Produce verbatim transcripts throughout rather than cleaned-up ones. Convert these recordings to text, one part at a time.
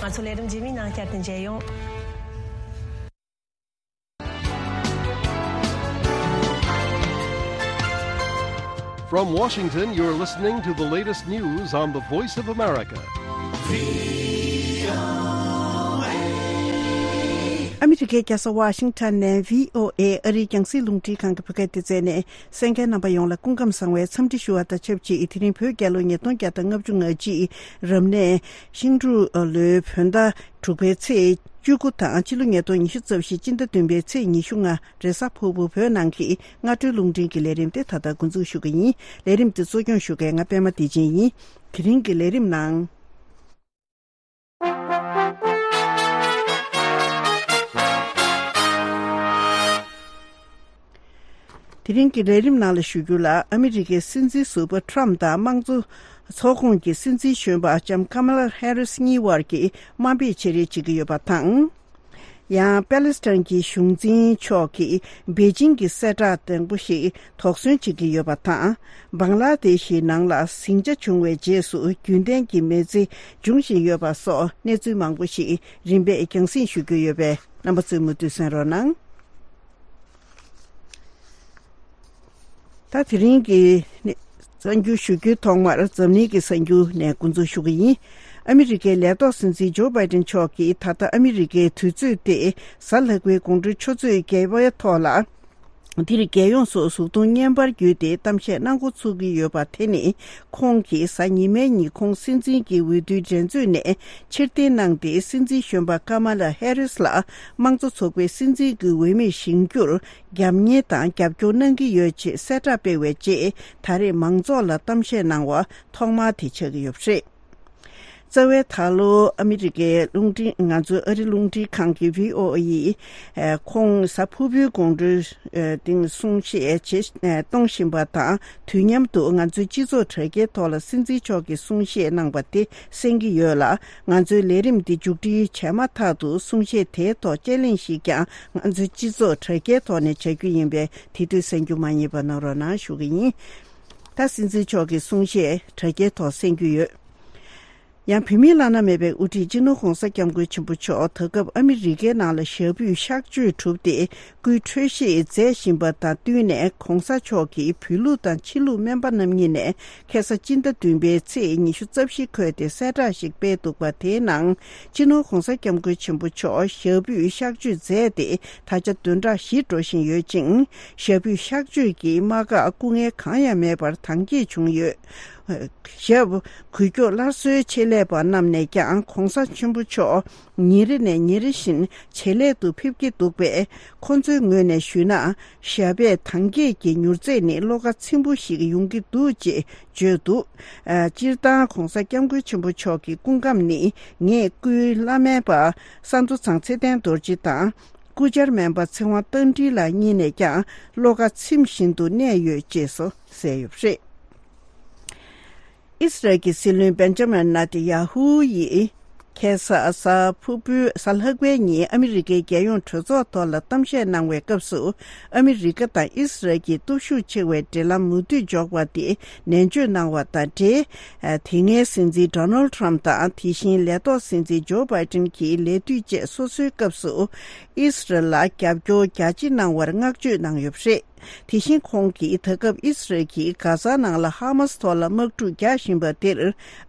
ང་ཚོ་ལས་རིམ་རྗེས་མའི་ནང་བསྐྱར་དུ་མཇལ་ཡོང་། From Washington, you're listening to the latest news on the Voice of America. ཨ་མི་རི་ཀའི་རྒྱལ་ས་ཝ་ཤིང་ཊོན་ནས་བྷི་ཨོ་ཨེ་ཨ་རིའི་རྒྱང་སྲིང་རླུང་འཕྲིན་ཁང་གི་བོད་སྐད་སྡེ་ཚན་ནས་གསན་མཁན་རྣམ་པ་ཡོངས་ལ་སྐུ་ཁམས་བཟང་བའི་འཚམས་འདྲི་ཞུ་བ་དང་ཆབས་ཅིག་དེ་རིང་བོད་རྒྱལ་ལོ་ཉིས་སྟོང་བརྒྱ་དང་ལྔ་བཅུ་ང་གཅིག་རབ་གནས་ཤིང་འབྲུག་ལོའི་བོད་ཟླ་དྲུག་པའི་ཚེས་བཅུ་དགུ་དང་ཕྱི་ལོ་ཉིས་སྟོང་ཉི་ཤུ་རྩ་བཞི་སྤྱི་ཟླ་བདུན་པའི་ཚེས་ཉི་ཤུ་ལྔ་རེས་གཟའ་ཕུར་བུ་བོད་ནང་གི་སྔ་དྲོའི་རླུང་འཕྲིན་གྱི་ལས་རིམ་དེ་ད་ལྟ་འགོ་འཛུགས་ཞུ་གི་ཡིན། ལས་རིམ་དེ་གཙོ་སྐྱོང་ཞུ་མཁན་ང་པད་མ་བདེ་ཆེན་ཡིན། དེ་རིང་གི་ལས་རིམ་ནང་། དེ་རིང་གི་ལས་རིམ་ནང་ལ་ཞུ་རྒྱུ་ལ། ཨ་མི་རི་ཀའི་སྲིད་འཛིན་ཟུར་པ་ཊྲམ་དང་དམངས་གཙོ་ཚོགས་ཁོངས་ཀྱི་སྲིད་འཛིན་གཞོན་པ་ལྕམ་ཀ་མ་ལ་ཧེ་རིས་གཉིས་བར་གྱི་དམའ་འབེབས་བྱེད་རེས་བྱེད་ཀྱི་ཡོད་པ་དང་། ཡང་པེ་ལེ་སི་ཐན་གྱི་གཞུང་འཛིན་མཆོག་གིས་པེ་ཅིང་གི་གསལ་བསྒྲགས་དང་པོ་ཞིག་དོགས་ཟོན་བྱེད་ཀྱི་ཡོད་པ་དང་། བང་ལ་དེ་ཤི་ནང་ལ་ཟིང་ཆ་བྱུང་བའི་རྗེས་སུ་རྒྱུན་ལྡན་གྱི་མི་ཚེ་འབྱུང་བཞིན་ཡོད་པ་སོགས་གནས་ཚུལ་མང་པོ་ཞིག་རིམ་པས་རྒྱང་སྲིང་ཞུ་རྒྱུ་ཡོད་པས། རྣམ་པ་ཚོས་མུ་མཐུད་གསན་རོགས་གནང་། ད་དེ་རིང་གི་གསར་འགྱུར་ཞུ་རྒྱུའི་ཐོག་མར་འཛམ་གླིང་གི་གསར་འགྱུར་ནས་འགོ་འཛུགས་ཞུ་གི་ཡིན། ཨ་མི་རི་ཀའི་ལས་ཐོག་སྲིད་འཛིན་ཇོ་བྷའི་ཏིན་མཆོག་གིས་ད་ལྟ་ཨ་མི་རི་ཀའི་དུས་ཚོད་སྟེ་གཟའ་ལྷག་པའི་དགོང་དྲོའི་ཆུ་ཚོད་བརྒྱད་པའི་ཐོག་ལ། འདིར་རྒྱལ་ཡོངས་སུ་གཟུགས་མཐོང་བརྙན་པར་བརྒྱུད་དེ་གཏམ་བཤད་གནང་འགོ་ཚུགས་ཀྱི་ཡོད་པ་དེ་ནི། ཁོང་གིས་གཟའ་ཉི་མའི་ཉིན་ཁོང་སྲིད་འཛིན་གྱི་འོས་བསྡུའི་འགྲན་རྩོད་ནས་ཕྱིར་འཐེན་གནང་སྟེ། སྲིད་འཛིན་གཞོན་པ་ཀ་མ་ལ་ཧེ་རིས་ལ་དམངས་གཙོ་ཚོགས་པའི་སྲིད་འཛིན་གྱི་འོས་མིར་བཞེངས་རྒྱུར་རྒྱབ་གཉེར་དང་རྒྱབ་སྐྱོར་གནང་གི་ཡོད་ཅེས་གསལ་བསྒྲགས་སྤེལ་བའི་རྗེས། ད་རེས་མང་ཚོགས་ལ་གཏམ་བཤད་གནང་བ་ཐོག་མ་དེ་ཆགས་ཀྱི་ཡོད་པ་རེད། རྩ་བའི་ད་ལོ་ཨ་མི་རི་ཀའི་རླུང་འཕྲིན། ང་ཚོའི་ཨ་རི་རླུང་འཕྲིན་ཁང་གི་བྷི་ཨོ་ཨེ་ཡིས་ཁོང་གཟའ་ཕུར་བུའི་དགོང་དྲོའི་སྟེང་གསུང་བཤད་བྱེད་གཏོང་བཞིན་པ་དང་། དུས་མཉམ་དུ་ང་ཚོའི་སྤྱི་ཚོགས་དྲ་རྒྱའི་ཐོག་ལ་སྲིད་འཛིན་མཆོག་གིས་གསུང་བཤད་གནང་བ་དེ་གསན་གྱི་ཡོད་ལ། ང་ཚོའི་ལས་རིམ་འདི་མཇུག་སྒྲིལ་བྱས་མ་ཐག་ཏུ་གསུང་བཤད་དེའི་ཐོག་དཔྱད་གླེང་ཞིག་ཀྱང་ང་ཚོའི་སྤྱི་ཚོགས་དྲ་རྒྱའི་ཐོག་ནས་བྱ་རྒྱུ་ཡིན་པས། དེ་དུས་གསན་རྒྱུ་མ་བསྙེལ་བ་གནང་རོགས་གནང་ཞུ་གི་ཡིན། ད་སྲིད་འཛིན་མཆོག་གི་གསུང་བཤད་དྲ་རྒྱའི་ཐོག་གསན་རྒྱུ་ཡོད། ཡང་བོད་མིའི་བླ་ན་མེད་པའི་དབུ་ཁྲིད་སྤྱི་ནོར་༸གོང་ས་༸སྐྱབས་མགོན་ཆེན་པོ་མཆོག་ད་སྐབས་ཨ་མི་རི་ཀའི་ནང་ལ་ཞབས་པུས་གཤག་བཅོས་གྲུབ་སྟེ་སྐུའི་འཕྲོད་བཞེས་མཛད་བཞིན་པ་དང་བསྟུན་ནས། ༸གོང་ས་མཆོག་གིས་བོད་ལུགས་དང་ཕྱི་ལུགས་སྨན་པ་རྣམ་གཉིས་ནས་ཁ་སང་སྤྱི་ཟླ་བདུན་པའི་ཚེས་ཉི་ཤུ་རྩ་བཞི་འཁོད་དེ་གསལ་བསྒྲགས་ཤིག་སྤེལ་འདུག་པ། དེའི་ནང་སྤྱི་ནོར་༸གོང་ས་༸སྐྱབས་མགོན་ཆེན་པོ་མཆོག་ཞབས་པུས་གཤག་བཅོས་མཛད་དེ་ད་ཆ་བདུན་ཕྲག་བཞི་འགྲོ་བཞིན་ཡོད་ཅིང་། ཞབས་པུས་གཤག་བཅོས་ཀྱི་རྨ་ཁ་སྐུ་ངལ་གང་ཡང་མེད་པར་དྭངས་སྐྱེད་བྱུང་ཡོད། ཞབས་འགུལ་སྐྱོད་སླར་གསོའི་ཆེད་ལས་པ་རྣམས་ནས་ཀྱང་༸གོང་ས་ཆེན་པོ་མཆོག་ཉིན་རེ་ནས་ཉིན་རེ་བཞིན་ཇེ་ལེགས་དུ་ཕེབས་ཀྱི་འདུག་པས། ཁོང་ཚོའི་ངོས་ནས་ཞུས་ན། ཞབས་པད་དྭངས་སྐྱེད་ཀྱི་མྱུར་ཚད་ནི་བློ་ཁ་ཚིམ་པོ་ཞིག་ཡོང་གི་འདུག་ཅེས་བརྗོད་འདུག་ཨ། སྤྱིར་བཏང་༸གོང་ས་༸སྐྱབས་མགོན་ཆེན་པོ་མཆོག་གི་སྐུ་ཁམས་ནི་ངས་སྐུའི་བླ་སྨན་པ་ས་མདོ་ཚང་ཚེ་བརྟན་རྡོ་རྗེ་དང་། སྐུ་བཅར་སྨན་པ་ཚེ་དབང་རྟ་མགྲིན་ལགས་གཉིས་ནས་ཀྱང་བློ་ཁ་ཚིམ་བཞིན་དུ་གནས་ཡོད་ཅེས་སོ་གསལ་ཡོད་པ་རེད། ཨི་སི་རལ་གྱི་སྲིད་བློན་བེན་ཇ་མིན་ནེ་ཐན་ཡ་ཧུ་ཡིས་ཁ་སང་གཟའ་ཕུར་བུའི་གཟའ་ལྷག་པའི་ཉིན་ཨ་མི་རི་ཀའི་རྒྱལ་ཡོངས་གྲོས་ཚོགས་ཐོག་ལ་གཏམ་བཤད་གནང་བའི་སྐབས་སུ། ཨ་མི་རི་ཀ་དང་ཨི་སི་རལ་གྱི་སྟོབས་ཤུགས་ཆེ་བའི་འབྲེལ་ལམ་མུ་མཐུད་འཇོག་པ་དེ་ནན་བརྗོད་གནང་བ་དང་འབྲེལ། དེ་སྔའི་སྲིད་འཛིན་ཌོ་ནལ་ཊམ་དང་། དེ་བཞིན་ལས་ཐོག་སྲིད་འཛིན་ཇོ་བྷའི་ཏིན་གྱི་ལས་དུས་བཅས་སོ་སོའི་སྐབས་སུ་ཨི་སི་རལ་ལ་རྒྱབ་སྐྱོར་རྒྱ་ཆེ་གནང་བར་བསྔགས་བརྗོད་གནང་ཡོད་པ་རེད། དེ་བཞིན་ཁོང་གིས་ད་སྐབས་ཨི་སི་རལ་གྱིས་གྷ་ཛ་ནང་ལ་ཧ་མ་སི་ཐོག་ལ་དམག་འཁྲུག་རྒྱག་བཞིན་པ་དེར་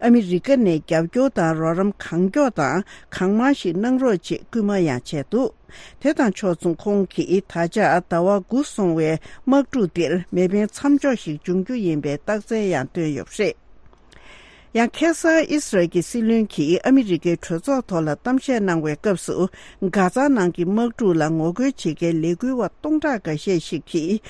ཨ་མི་རི་ཀ་ནས་རྒྱབ་སྐྱོར་དང་རོགས་རམ་གང་མགྱོགས་དང་གང་མང་ཞིག་གནང་རོགས་ཅེས་སྐུལ་མ་ཡང་བྱས་འདུག་དེ་དང་ཕྱོགས་མཚུངས་ཁོང་གིས་ད་ཆ་ཟླ་བ་དགུ་སོང་བའི་དམག་འཁྲུག་དེར་མེ་འཕེན་མཚམས་འཇོག་ཞིག་འབྱུང་རྒྱུ་ཡིན་པའི་རྟགས་མཚན་ཡང་བཏོན་ཡོད་པ་རེད། ཡང་ཁ་སང་ཨི་སི་རལ་གྱི་སྲིད་བློན་གྱིས་ཨ་མི་རི་ཀའི་གྲོས་ཚོགས་ཐོག་ལ་གཏམ་བཤད་གནང་བའི་སྐབས་སུ། གྷ་ཛ་ནང་གི་དམག་འཁྲུག་ལ་ངོ་རྒོལ་བྱེད་མཁན་ལས་འགུལ་བ་སྟོང་ཕྲག་འགའ་ཤས་ཤིག་གིས།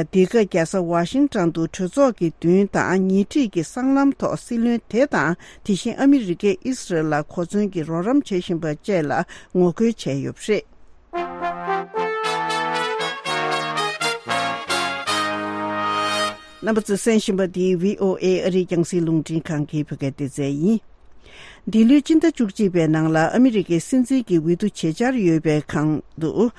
འདི་ག་རྒྱལ་ས་ཝ་ཤིང་ཊོན་དུ་གྲོས་ཚོགས་ཀྱི་མདུན་དང་ཉེ་འཁྲིས་ཀྱི་སྲང་ལམ་ཐོག་སྲིད་བློན་དེ་དང་། དེ་བཞིན་ཨ་མི་རི་ཀས་ཨི་སི་རལ་ལ་གོ་མཚོན་གྱི་རོགས་རམ་བྱེད་བཞིན་པ་བཅས་ལ་ངོ་རྒོལ་བྱས་ཡོད་པ་རེད། རྣམ་པ་ཚོས་གསན་བཞིན་པ་འདི་བྷི་ཨོ་ཨེ་ཨ་རིའི་རྒྱང་སྲིང་རླུང་འཕྲིན་ཁང་གི་བོད་སྐད་སྡེ་ཚན་ཡིན། འདི་ལོའི་སྤྱི་ཟླ་བཅུ་གཅིག་པའི་ནང་ལ་ཨ་མི་རི་ཀའི་སྲིད་འཛིན་གྱི་འོས་བསྡུ་བྱེད་འཆར་ཡོད་པའི་སྒང་དུ།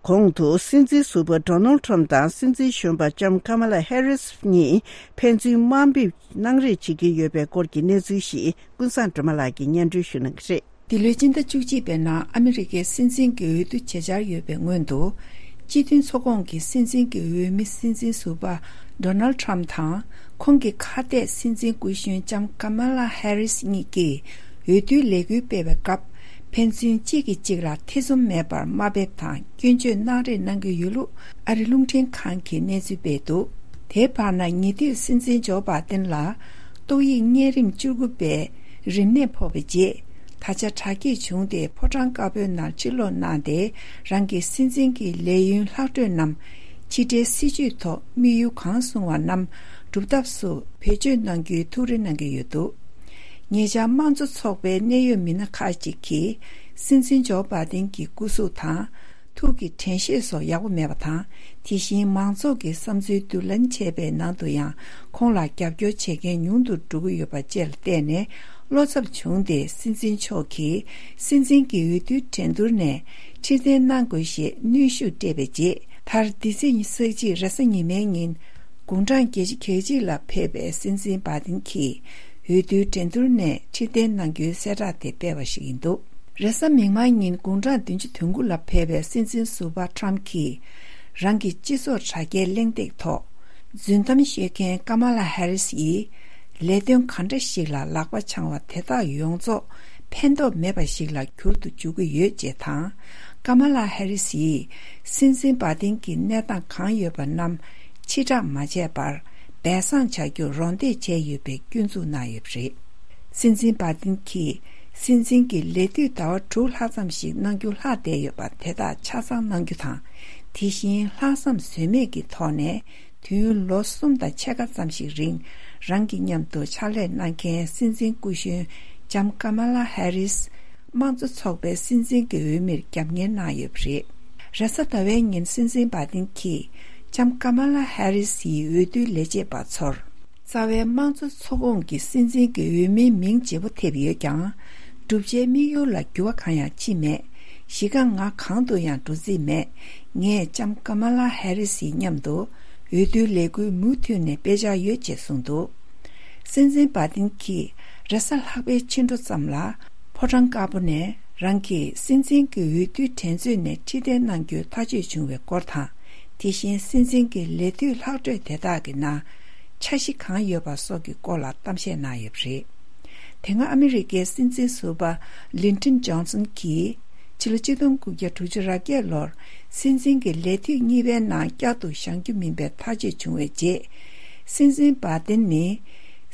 གོང་དུ་སྲིད་འཛིན་ཟུར་པ་ཌོ་ནལ་ཊམ་དང་སྲིད་འཛིན་གཞོན་པ་ལྕམ་ཀ་མ་ལ་ཧེ་རིས་གཉིས་ཕན་ཚུན་དམའ་འབེབས་གནང་རེས་བྱེད་ཀྱི་ཡོད་པའི་སྐོར་གྱི་གནས་ཚུལ་ཞིག་ཀུན་བཟང་སྒྲོལ་མ་ལགས་ཀྱིས་སྙན་སྒྲོན་ཞུ་གནང་གི་རེད། འདི་ལོའི་སྤྱི་ཟླ་བཅུ་གཅིག་པའི་ནང་ཨ་མི་རི་ཀའི་སྲིད་འཛིན་གྱི་འོས་བསྡུ་བྱེད་འཆར་ཡོད་པའི་སྔོན་དུ། སྤྱི་མཐུན་ཚོགས་ཁོངས་ཀྱི་སྲིད་འཛིན་གྱི་འོས་མི་སྲིད་འཛིན་ཟུར་པ་ཌོ་ནལ་ཌི་ཊརམ་ཕི་དང་ཁོང་གི་ཁ་གཏད་སྲིད་འཛིན་སྐུ་གཞོན་ལྕམ་ཀ་མ་ལ་ཧེ་རིས་གཉིས་ཀྱིས་འོས་བསྡུའི་ལས་འགུལ་སྤེལ་བའི་སྐབས། ཕན་ཚུན་གཅིག་གིས་གཅིག་ལ་ཐེ་ཚོམ་མེད་པར་དམའ་འབེབས་དང་སྐྱོན་བརྗོད་གནང་རེས་གནང་གི་ཡོད་ལུགས་ཨ་རི་རླུང་འཕྲིན་ཁང་གིས་གནས་ཚུལ་སྤེལ་འདུག་དེའི་བར་ན། ཉེ་དུས་སྲིད་འཛིན་ཇོ་བྷ་དན་ལ་ཏོག་དབྱིབས་གཉན་རིམས་བཅུ་དགུ་པའི་རིམས་ནད་ཕོག་པའི་རྗེས། ད་ཆ་དྲག་སྐྱེད་བྱུང་སྟེ་ཕོ་བྲང་དཀར་པོའི་ནང་ཕྱིར་ལོག་གནང་སྟེ། རང་གི་སྲིད་འཛིན་གྱི་ལས་ཡུན་ལྷག་འཕྲོས་རྣམས་ཕྱི་འབྲེལ་སྲིད་བྱུས་ཐོག་དམིགས་ཡུལ་གང་བཟུང་བ་རྣམས་སྒྲུབ་ཐབས་སུ་བེད་སྤྱོད་གནང་རྒྱུའི་ཐུགས་རེ་གནང་གི་ཡོད་འདུག་ཉེ་ཆར་དམངས་གཙོ་ཚོགས་པའི་གནད་ཡོད་མི་སྣ་ཁག་ཅིག་གིས་སྲིད་འཛིན་ཇོ་བྷ་དན་གྱི་སྐུ་གཟུགས་དང་། ཐུགས་ཀྱི་དྲན་ཤེས་སོགས་ཡག་པོ་མེད་པ་དང་། དེ་བཞིན་མང་ཚོགས་ཀྱི་བསམ་ཚུལ་བསྡུ་ལེན་བྱས་པའི་ནང་དུ་ཡང་ཁོང་ལ་རྒྱབ་སྐྱོར་བྱེད་མཁན་ཉུང་དུ་འགྲོ་གི་ཡོད་པ་བཅས་ལ་བརྟེན་ནས། བློ་འཚབ་བྱུང་སྟེ་སྲིད་འཛིན་མཆོག་གིས་སྲིད་འཛིན་གྱི་འོས་བསྡུའི་འགྲན་བསྡུར་ནས་ཁྲི་འཐེན་གནང་དགོས་ཞེས་གནོན་ཤུགས་སྤྲད་པའི་རྗེས། མཐར་འདི་ཚེས་ཉི་ཤུ་རྩ་གཅིག་རེས་གཟའ་ཉི་མའི་ཉིན་དགུང་གྲངས་བརྒྱད་ཅུ་གྱ་གཅིག་ལ་ཕེབས་པའི་སྲིད་འཛིན་བྷ་དིན་གྱིས་འོས་བསྡུའི་འགྲན་བསྡུར་ནས་ཁྲི་འཐེན་གནང་རྒྱུའི་གསལ་བསྒྲགས་དེ་སྤེལ་བ་ཞིག་ཡིན་འདུག་རེས་གཟའ་མིག་དམར་ཉིན་དགུང་གྲངས་བདུན་ཅུ་དོན་དགུ་ལ་ཕེབས་པའི་སྲིད་འཛིན་ཟུར་པ་ཊམ་གྱིས་རང་གི་སྤྱི་ཚོགས་དྲ་རྒྱའི་གླེང་སྟེགས་ཐོག་རྫུན་གཏམ་བཤད་མཁན་ཀ་མ་ལ་ཧེ་རིས་ཡིས་ལས་དོན་ག་འདྲ་ཞིག་ལ་ལག་པ་འཆང་བ་དེ་དག་ཡོངས་རྫོགས་ཕན་ཐོགས་མེད་པ་ཞིག་ལ་འགྱུར་དུ་འཇུག་གི་ཡོད་ཅེས་དང་། ཀ་མ་ལ་ཧེ་རིས་ཡིས་སྲིད་འཛིན་བྷ་དིན་གྱི་གནས་སྟངས་གང་ཡོད་པ་རྣམས་ཕྱིར་བསྒྲགས་མ་བྱས་པར་སྦས་གསང་བྱ་རྒྱུར་རོགས་འདེགས་བྱས་ཡོད་པའི་སྐྱོན་འཛུགས་གནང་ཡོད་པ་རེད། སྲིད་འཛིན་བྷ་དིན་གྱིས་སྲིད་འཛིན་གྱི་ལས་དུས་ཟླ་བ་དྲུག་ལྷག་ཙམ་ཞིག་གནང་རྒྱུ་ལྷག་བསྡད་ཡོད་པ་དེ་དག་ཆ་ཚང་གནང་རྒྱུ་དང་། དེ་བཞིན་ལྷག་བསམ་ཟོལ་མེད་ཀྱི་ཐོག་ནས། དུས་ཡུན་ལོ་གསུམ་དང་ཕྱེད་ཀ་ཙམ་ཞིག་རིང་རང་གི་མཉམ་དུ་ཕྱག་ལས་གནང་མཁན་སྲིད་འཛིན་སྐུ་གཞོན་ལྕམ་ཀ་མ་ལ་ཧེ་རིས་དམངས་གཙོ་ཚོགས་པའི་སྲིད་འཛིན་གྱི་འོས་མིར་རྒྱབ་གཉེར་གནང་ཡོད་པ་རེད། རེས་གཟའ་ཟླ་བའི་ཉིན་སྲིད་འཛིན་བྷ་དིན་གྱིས་ལྕམ་ཀ་མ་ལ་ཧེ་རིས་ཡི་འོས་བསྡུའི་ལས་བྱེད་པ་ཚོར། རྩ་བའི་དམངས་གཙོ་ཚོགས་ཁོངས་ཀྱི་སྲིད་འཛིན་གྱི་འོས་མིའི་མིང་བརྗེ་པོ་ཐེབས་ཡོད་ཀྱང་། བསྒྲུབ་བྱའི་དམིགས་ཡུལ་ལ་འགྱུར་བ་གང་ཡང་ཕྱིན་མེད། གཞི་རྐང་ང་གང་དུ་ཡང་འགྲོ་རྩིས་མེད། ངས་ལྕམ་ཀ་མ་ལ་ཧེ་རི་སིའི་མཉམ་དུ་འོས་བསྡུའི་ལས་འགུལ་མུ་མཐུད་ནས་སྤེལ་འཆར་ཡོད་ཅེས་གསུངས་འདུག་སྲིད་འཛིན་བྷ་ཏིན་གྱིས་རེས་གཟའ་ལྷག་པའི་ཕྱི་དྲོ་ཙམ་ལ་ཕོ་བྲང་དཀར་པོ་ནས་རང་གིས་སྲིད་འཛིན་གྱི་འོས་བསྡུའི་འགྲན་རྩོད་ནས་ཕྱིར་འཐེན་གནང་རྒྱུའི་ཐག་གཅོད་བྱུང་བའི་སྐོར་དང་། དེ་བཞིན་སྲིད་འཛིན་གྱི་ལས་དུས་ལྷག་འཕྲོས་དེ་དག་གི་ནང་འཆར་གཞི་གང་ཡོད་པ་སོགས་ཀྱི་སྐོར་ལ་གཏམ་བཤད་གནང་ཡོད་པ་རེད། དེ་སྔ་ཨ་མི་རི་ཀའི་སྲིད་འཛིན་ཟུར་པ་ལིན་ཏྲིན་ཇོན་སན་གྱིས་ཕྱི་ལོ་ཆིག་སྟོང་དགུ་བརྒྱ་དྲུག་ཅུ་རེ་བརྒྱད་ལོར་སྲིད་འཛིན་གྱི་ལས་དུས་གཉིས་པའི་ནང་བསྐྱར་དུ་བཞེངས་རྒྱུ་མིན་པའི་ཐག་གཅོད་བྱུང་བའི་རྗེས། སྲིད་འཛིན་བྷ་ཏིན་ནི་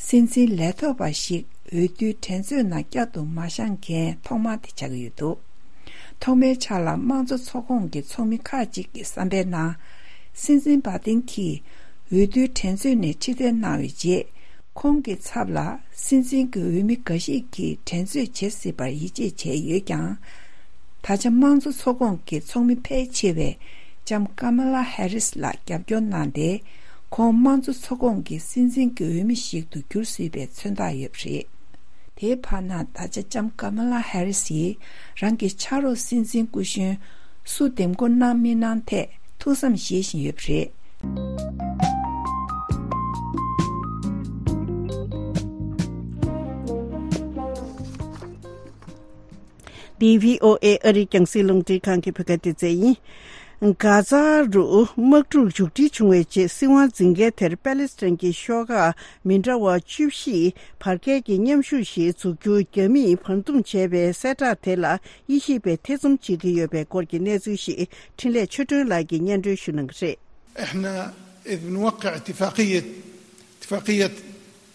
སྲིད་འཛིན་ལས་ཐོག་པ་ཞིག་འོས་བསྡུའི་འགྲན་རྩོད་ནང་བསྐྱར་དུ་མ་བཞེངས་མཁན་ཐོག་མ་དེ་ཆགས་ཀྱི་ཡོད་འདུག་ཐོག་མའི་ཆར་ལ་དམངས་གཙོ་ཚོགས་ཁོངས་ཀྱི་ཚོགས་མི་ཁག་ཅིག་གི་བསམ་པའི་ནང་། སྲིད་འཛིན་བྷ་ཏིན་གྱིས་འོས་བསྡུའི་འགྲན་རྩོད་ནས་ཕྱིར་འཐེན་གནང་བའི་རྗེས། ཁོང་གི་ཚབ་ལ་སྲིད་འཛིན་གྱི་འོས་མི་འགའ་ཞིག་གིས་འགྲན་རྩོད་བྱེད་སྲིད་པར་ཡིད་ཆེས་བྱས་ཡོད་ཀྱང་། ད་ཆ་དམངས་གཙོ་ཚོགས་ཁོངས་ཀྱི་ཚོགས་མི་ཕལ་ཆེ་བས་ལྕམ་ཀ་མ་ལ་ཧེ་རིས་ལ་རྒྱབ་སྐྱོར་གནང་སྟེ། ཁོང་དམངས་གཙོ་ཚོགས་ཁོངས་ཀྱི་སྲིད་འཛིན་གྱི་འོས་མི་ཞིག་ཏུ་འགྱུར་སྲིད་པའི་མཚོན་རྟགས་ཡོད་པ་རེད། དེའི་བར་ན་ད་ཆ་ལྕམ་ཀ་མ་ལ་ཧེ་རི་སིས་རང་གི་ཕྱག་རོགས་སྲིད་འཛིན་སྐུ་གཞོན་སུ་འདེམས་བསྐོ་གནང་མི་གནང་ཐད་ཐུགས་བསམ་བཞེས་བཞིན་ཡོད་པ་རེད། འདི་བྷི་ཨོ་ཨེ་ཨ་རིའི་རྒྱང་སྲིང་རླུང་འཕྲིན་ཁང་གི་བོད་སྐད་སྡེ་ཚན་ཡིན། གྷ་ཛ་རུ་དམག་འཁྲུག་མཇུག་སྒྲིལ་བྱུང་བའི་རྗེས་སྲིད་དབང་འཛིན་མཁན་དེར་པེ་ལེ་སི་ཐན་གྱི་ཤོག་ཁག་མི་འདྲ་བ་བཅུ་བཞི་བར་བརྒལ་གྱི་མཉམ་ཞུགས་ཤིག་འཛུགས་རྒྱུ་རྒྱ་མིས་བར་འདུམ་བྱས་པའི་གསལ་བསྒྲགས་དེ་ལ་དབྱེ་ཞིབ་པས་ཐེ་ཚོམ་བྱེད་ཀྱི་ཡོད་པའི་སྐོར་གྱི་གནས་ཚུལ་ཞིག་འཕྲིན་ལས་ཆོས་སྒྲོན་ལགས་ཀྱིས་སྙན་སྒྲོན་ཞུ་གནང་གི་རེད། احنا اذ بنوقع اتفاقية اتفاقية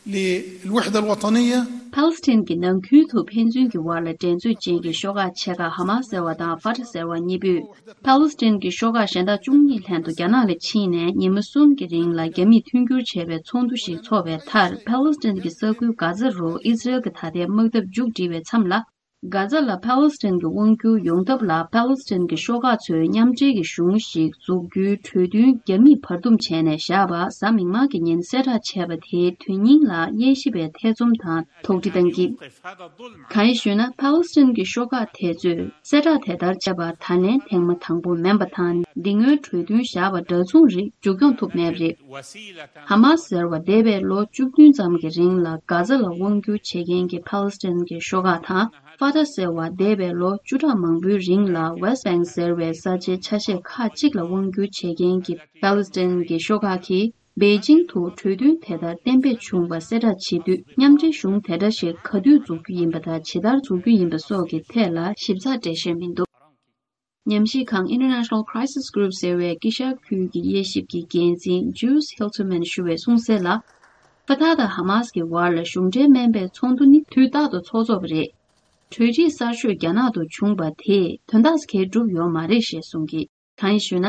للوحدة الوطنية. ཕཱ་ལེ་སི་ཐན་གྱི་ནང་ཁུལ་དུ་ཕན་ཚུན་གྱི་དབར་ལ་འགྲན་རྩོད་ཅན་གྱི་ཤོག་ཁག་ཆེ་ཁག་ཧ་མ་སི་ཟེར་བ་དང་ཕ་ཏ་ཟེར་བ་གཉིས་པོས། ཕཱ་ལེ་སི་ཐན་གྱི་ཤོག་ཁག་གཞན་དག་བཅུ་གཉིས་ལྷན་དུ་རྒྱ་ནག་ལ་ཕྱིན་ནས་ཉིན་མོ་གསུམ་གྱི་རིང་ལ་རྒྱ་མིས་མཐུན་འགྱུར་བྱས་པའི་ཚོགས་འདུ་ཞིག་འཚོགས་པའི་མཐར། ཕཱ་ལེ་སི་ཐན་གྱི་ས་ཁུལ་གྷ་ཛ་རུ་ཨི་ཟི་རེལ་གྱི་ད་ལྟའི་དམག་འཐབ་མཇུག་སྒྲིལ་བའི་མཚམས་ལ། གྷ་ཛ་ལ་ཕཱ་ལེ་སི་ཐན་གྱི་དབང་སྒྱུར་ཡོང་ཐབས་ལ་ཕཱ་ལེ་སི་ཐན་གྱི་ཤོག་ཁག་ཚོས་མཉམ་འབྲེལ་གྱི་གཞུང་ཞིག་འཛུགས་རྒྱུའི་གྲོས་མཐུན་རྒྱ་མིས་བར་འདུམ་བྱས་ནས་བཞག་པ་གཟའ་མིག་དམར་གྱི་ཉིན་གསལ་བསྒྲགས་བྱས་པ་དེའི་དོན་སྙིང་ལ་དབྱེ་ཞིབ་པས་ཐེ་ཚོམ་དང་དོགས་འདྲི་བཏང་གི། གང་ཡིན་ཞུས་ན། ཕཱ་ལེ་སི་ཐན་གྱི་ཤོག་ཁག་དེ་ཚོས་གསལ་བསྒྲགས་དེ་ལྟར་བྱས་པ་ད་ལན་ཐེངས་མ་དང་པོ་མིན་པ་དང་། འདི་སྔོན་གྲོས་མཐུན་བཞག་པ་འདྲ་མཚུངས་རིགས་མཇུག་སྐྱོང་ཐུབ་མེད་པ་རེད། ཧ་མ་སི་ཟེར་བ་འདས་པའི་ལོ་བཅུ་བདུན་ཙམ་གྱི་རིང་ལ་གྷ་ཛ་ལ་དབང་སྒྱུར་བྱེད་མཁན་གྱི་ཕཱ་ལེ་སི་ཐན་གྱི་ཤོག་ཁག་དང་། ཧྥ་ཐ་ཟེར་བ་འདས་པའི་ལོ་བཅུ་ཕྲག་མང་པོའི་རིང་ལ་West Bank་ཟེར་བའི་ས་ཆའི་ཆ་ཤས་ཁག་ཅིག་ལ་དབང་བསྒྱུར་བྱེད་མཁན་གྱི་ཕཱ་ལེ་སི་ཐན་གྱི་ཤོག་ཁག་གིས་པེ་ཅིང་དུ་གྲོས་མཐུན་དེ་ལྟར་གཏན་འབེབས་བྱུང་བ་གསལ་བསྒྲགས་བྱེད་དུས། མཉམ་འབྲེལ་གཞུང་དེ་འདྲ་ཞིག་ག་དུས་འཛུགས་རྒྱུ་ཡིན་པ་དང་ཇི་ལྟར་འཛུགས་རྒྱུ་ཡིན་པ་སོགས་ཀྱི་ཐད་ལ་ཞིབ་ཚགས་འགྲེལ་བཤད་མི་འདུག། ཉམས་ཞིབ་ཁང་International Crisis Group་ཟེར་བའི་དཀྱིལ་ཤར་ཁུལ་གྱི་དབྱེ་ཞིབ་ཀྱི་འགན་འཛིན་Jules Hilterman་ཞུ་བའི་གསུང་གསལ་ལ། ཕ་ཐག་དང་ཧ་མཱ་སི་ཀྱི་བར་ལ་གཞུང་འབྲེལ་མིན་པའི་ཚོགས་འདུ་ནི་དུས་རྟག་ཏུ་ཚོགས་ཚོགས་པ་རེད། གྲོས་འགྲིག་གསར་ཤོས་རྒྱ་ནག་ཏུ་བྱུང་བ་དེས་དོན་དག་ག་གེ་གྲུབ་ཡོད་མ་རེད་ཞེས་གསུངས་ཀྱི། གང་ཡིན་ཞུས་ན།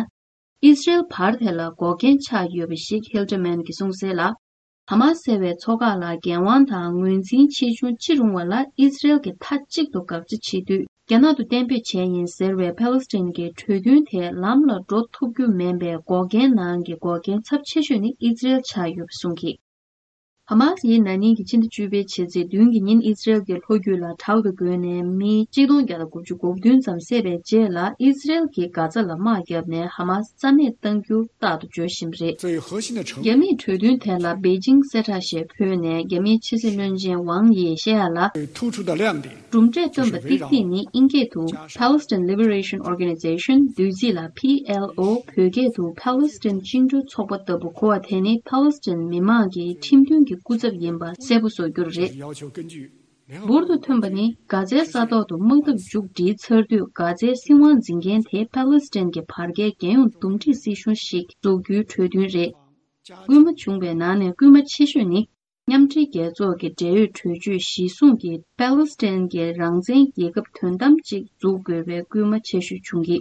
ཨི་སི་རེལ་བར་དེ་ལ་འགོག་རྐྱེན་ཆགས་ཡོད་པ་ཞིག་Hilterman་གྱིས་གསུངས་གསལ་ལ། ཧ་མཱ་སི་ཟེར་བའི་ཚོགས་ཁག་ལ་འགན་དབང་དང་ངོས་འཛིན་ཆེ་ཆུང་ཅི་རུང་བ་ལ་ཨི་སི་རེལ་གྱིས་མཐའ་གཅིག་ཏུ་དགག་བྱ་བྱེད་དུས། རྒྱ་ནག་ཏུ་གཏན་འབེབས་བྱས་ཡིན་ཟེར་བའི་ཕཱ་ལེ་སི་ཐན་གྱི་གྲོས་མཐུན་དེ་ལམ་ལ་འགྲོ་ཐུབ་རྒྱུ་མིན་པའི་འགོག་རྐྱེན་ནང་གི་འགོག་རྐྱེན་ཚབས་ཆེ་ཤོས་ནི་ཨི་སི་རེལ་ཆགས་ཡོད་པ་གསུངས་ཀྱི། ཧ་མཱ་སི་ཡིས་ན་ནིང་གི་ཕྱི་ཟླ་བཅུ་པའི་ཕྱི་ཚེས་བདུན་གྱི་ཉིན་ཨི་སི་རེལ་གྱི་ལྷོ་རྒྱུད་ལ་དྲག་ཏུ་རྒོལ་ནས་མི་གཅིག་སྟོང་བརྒྱ་དང་དགུ་བཅུ་གོ་བདུན་ཙམ་བསད་པའི་རྗེས་ལ། ཨི་སི་རེལ་གྱིས་གྷ་ཛ་ལ་དམག་བརྒྱབ་ནས་ཧ་མཱ་སི་རྩ་མེད་གཏང་རྒྱུ་རྟག་ཏུ་བརྗོད་བཞིན་པ་རེད། རྒྱ་མིས་གྲོས་མཐུན་དེ་ལ་པེ་ཅིང་གསལ་བསྒྲགས་ཤིག་ཕུལ་ནས། རྒྱ་མིའི་ཕྱི་སྲིད་བློན་ཆེན་ཝང་ཡིས་བཤད་ཡ་ལ། གྲུབ་འབྲས་བཏོན་པ་ཏིག་ཏིག་ནི་དབྱིན་སྐད་དུ་Palestine Liberation Organization། བསྡུས་ཚིག་ལ་P L O། བོད་སྐད་དུ་ཕཱ་ལེ་སི་ཐན་བཅིངས་འགྲོལ་ཚོགས་པ་ལྟ་བུ་གོ་བ་དེ་ནི་ཕཱ་ལེ་སི་ཐན་མི་མང་གི་ཁྲིམས་མཐུན་གྱི་སྐུ་ཚབ་ཡིན་པ་གསལ་པོ་བཟོ་རྒྱུ་རེད། འབུར་དུ་ཐོན་པ་ནི་གྷ་ཛའི་ས་ཐོག་ཏུ་དམག་འཐབ་མཇུག་སྒྲིལ་ཚར་དུས། གྷ་ཛའི་སྲིད་དབང་འཛིན་མཁན་དེ་ཕཱ་ལེ་སི་ཐན་གྱི་བར་བརྒལ་རྒྱལ་ཡོངས་འདུམ་འགྲིག་སྲིད་གཞུང་ཞིག་འཛུགས་རྒྱུའི་གྲོས་མཐུན་རེད། སྐུལ་མ་བྱུང་བའི་ནང་ནས་སྐུལ་མ་ཆེ་ཤོས་ནི། མཉམ་འབྲེལ་རྒྱལ་ཚོགས་ཀྱི་འབྲེལ་ཡོད་གྲོས་ཆོད་གཞིར་བཟུང་གིས་ཕཱ་ལེ་སི་ཐན་གྱི་རང་བཙན་རྒྱལ་ཁབ་དོན་དམ་ཅིག་འཛུགས་དགོས་པའི་སྐུལ་མ་ཆེ་ཤོས་བྱུང་གི།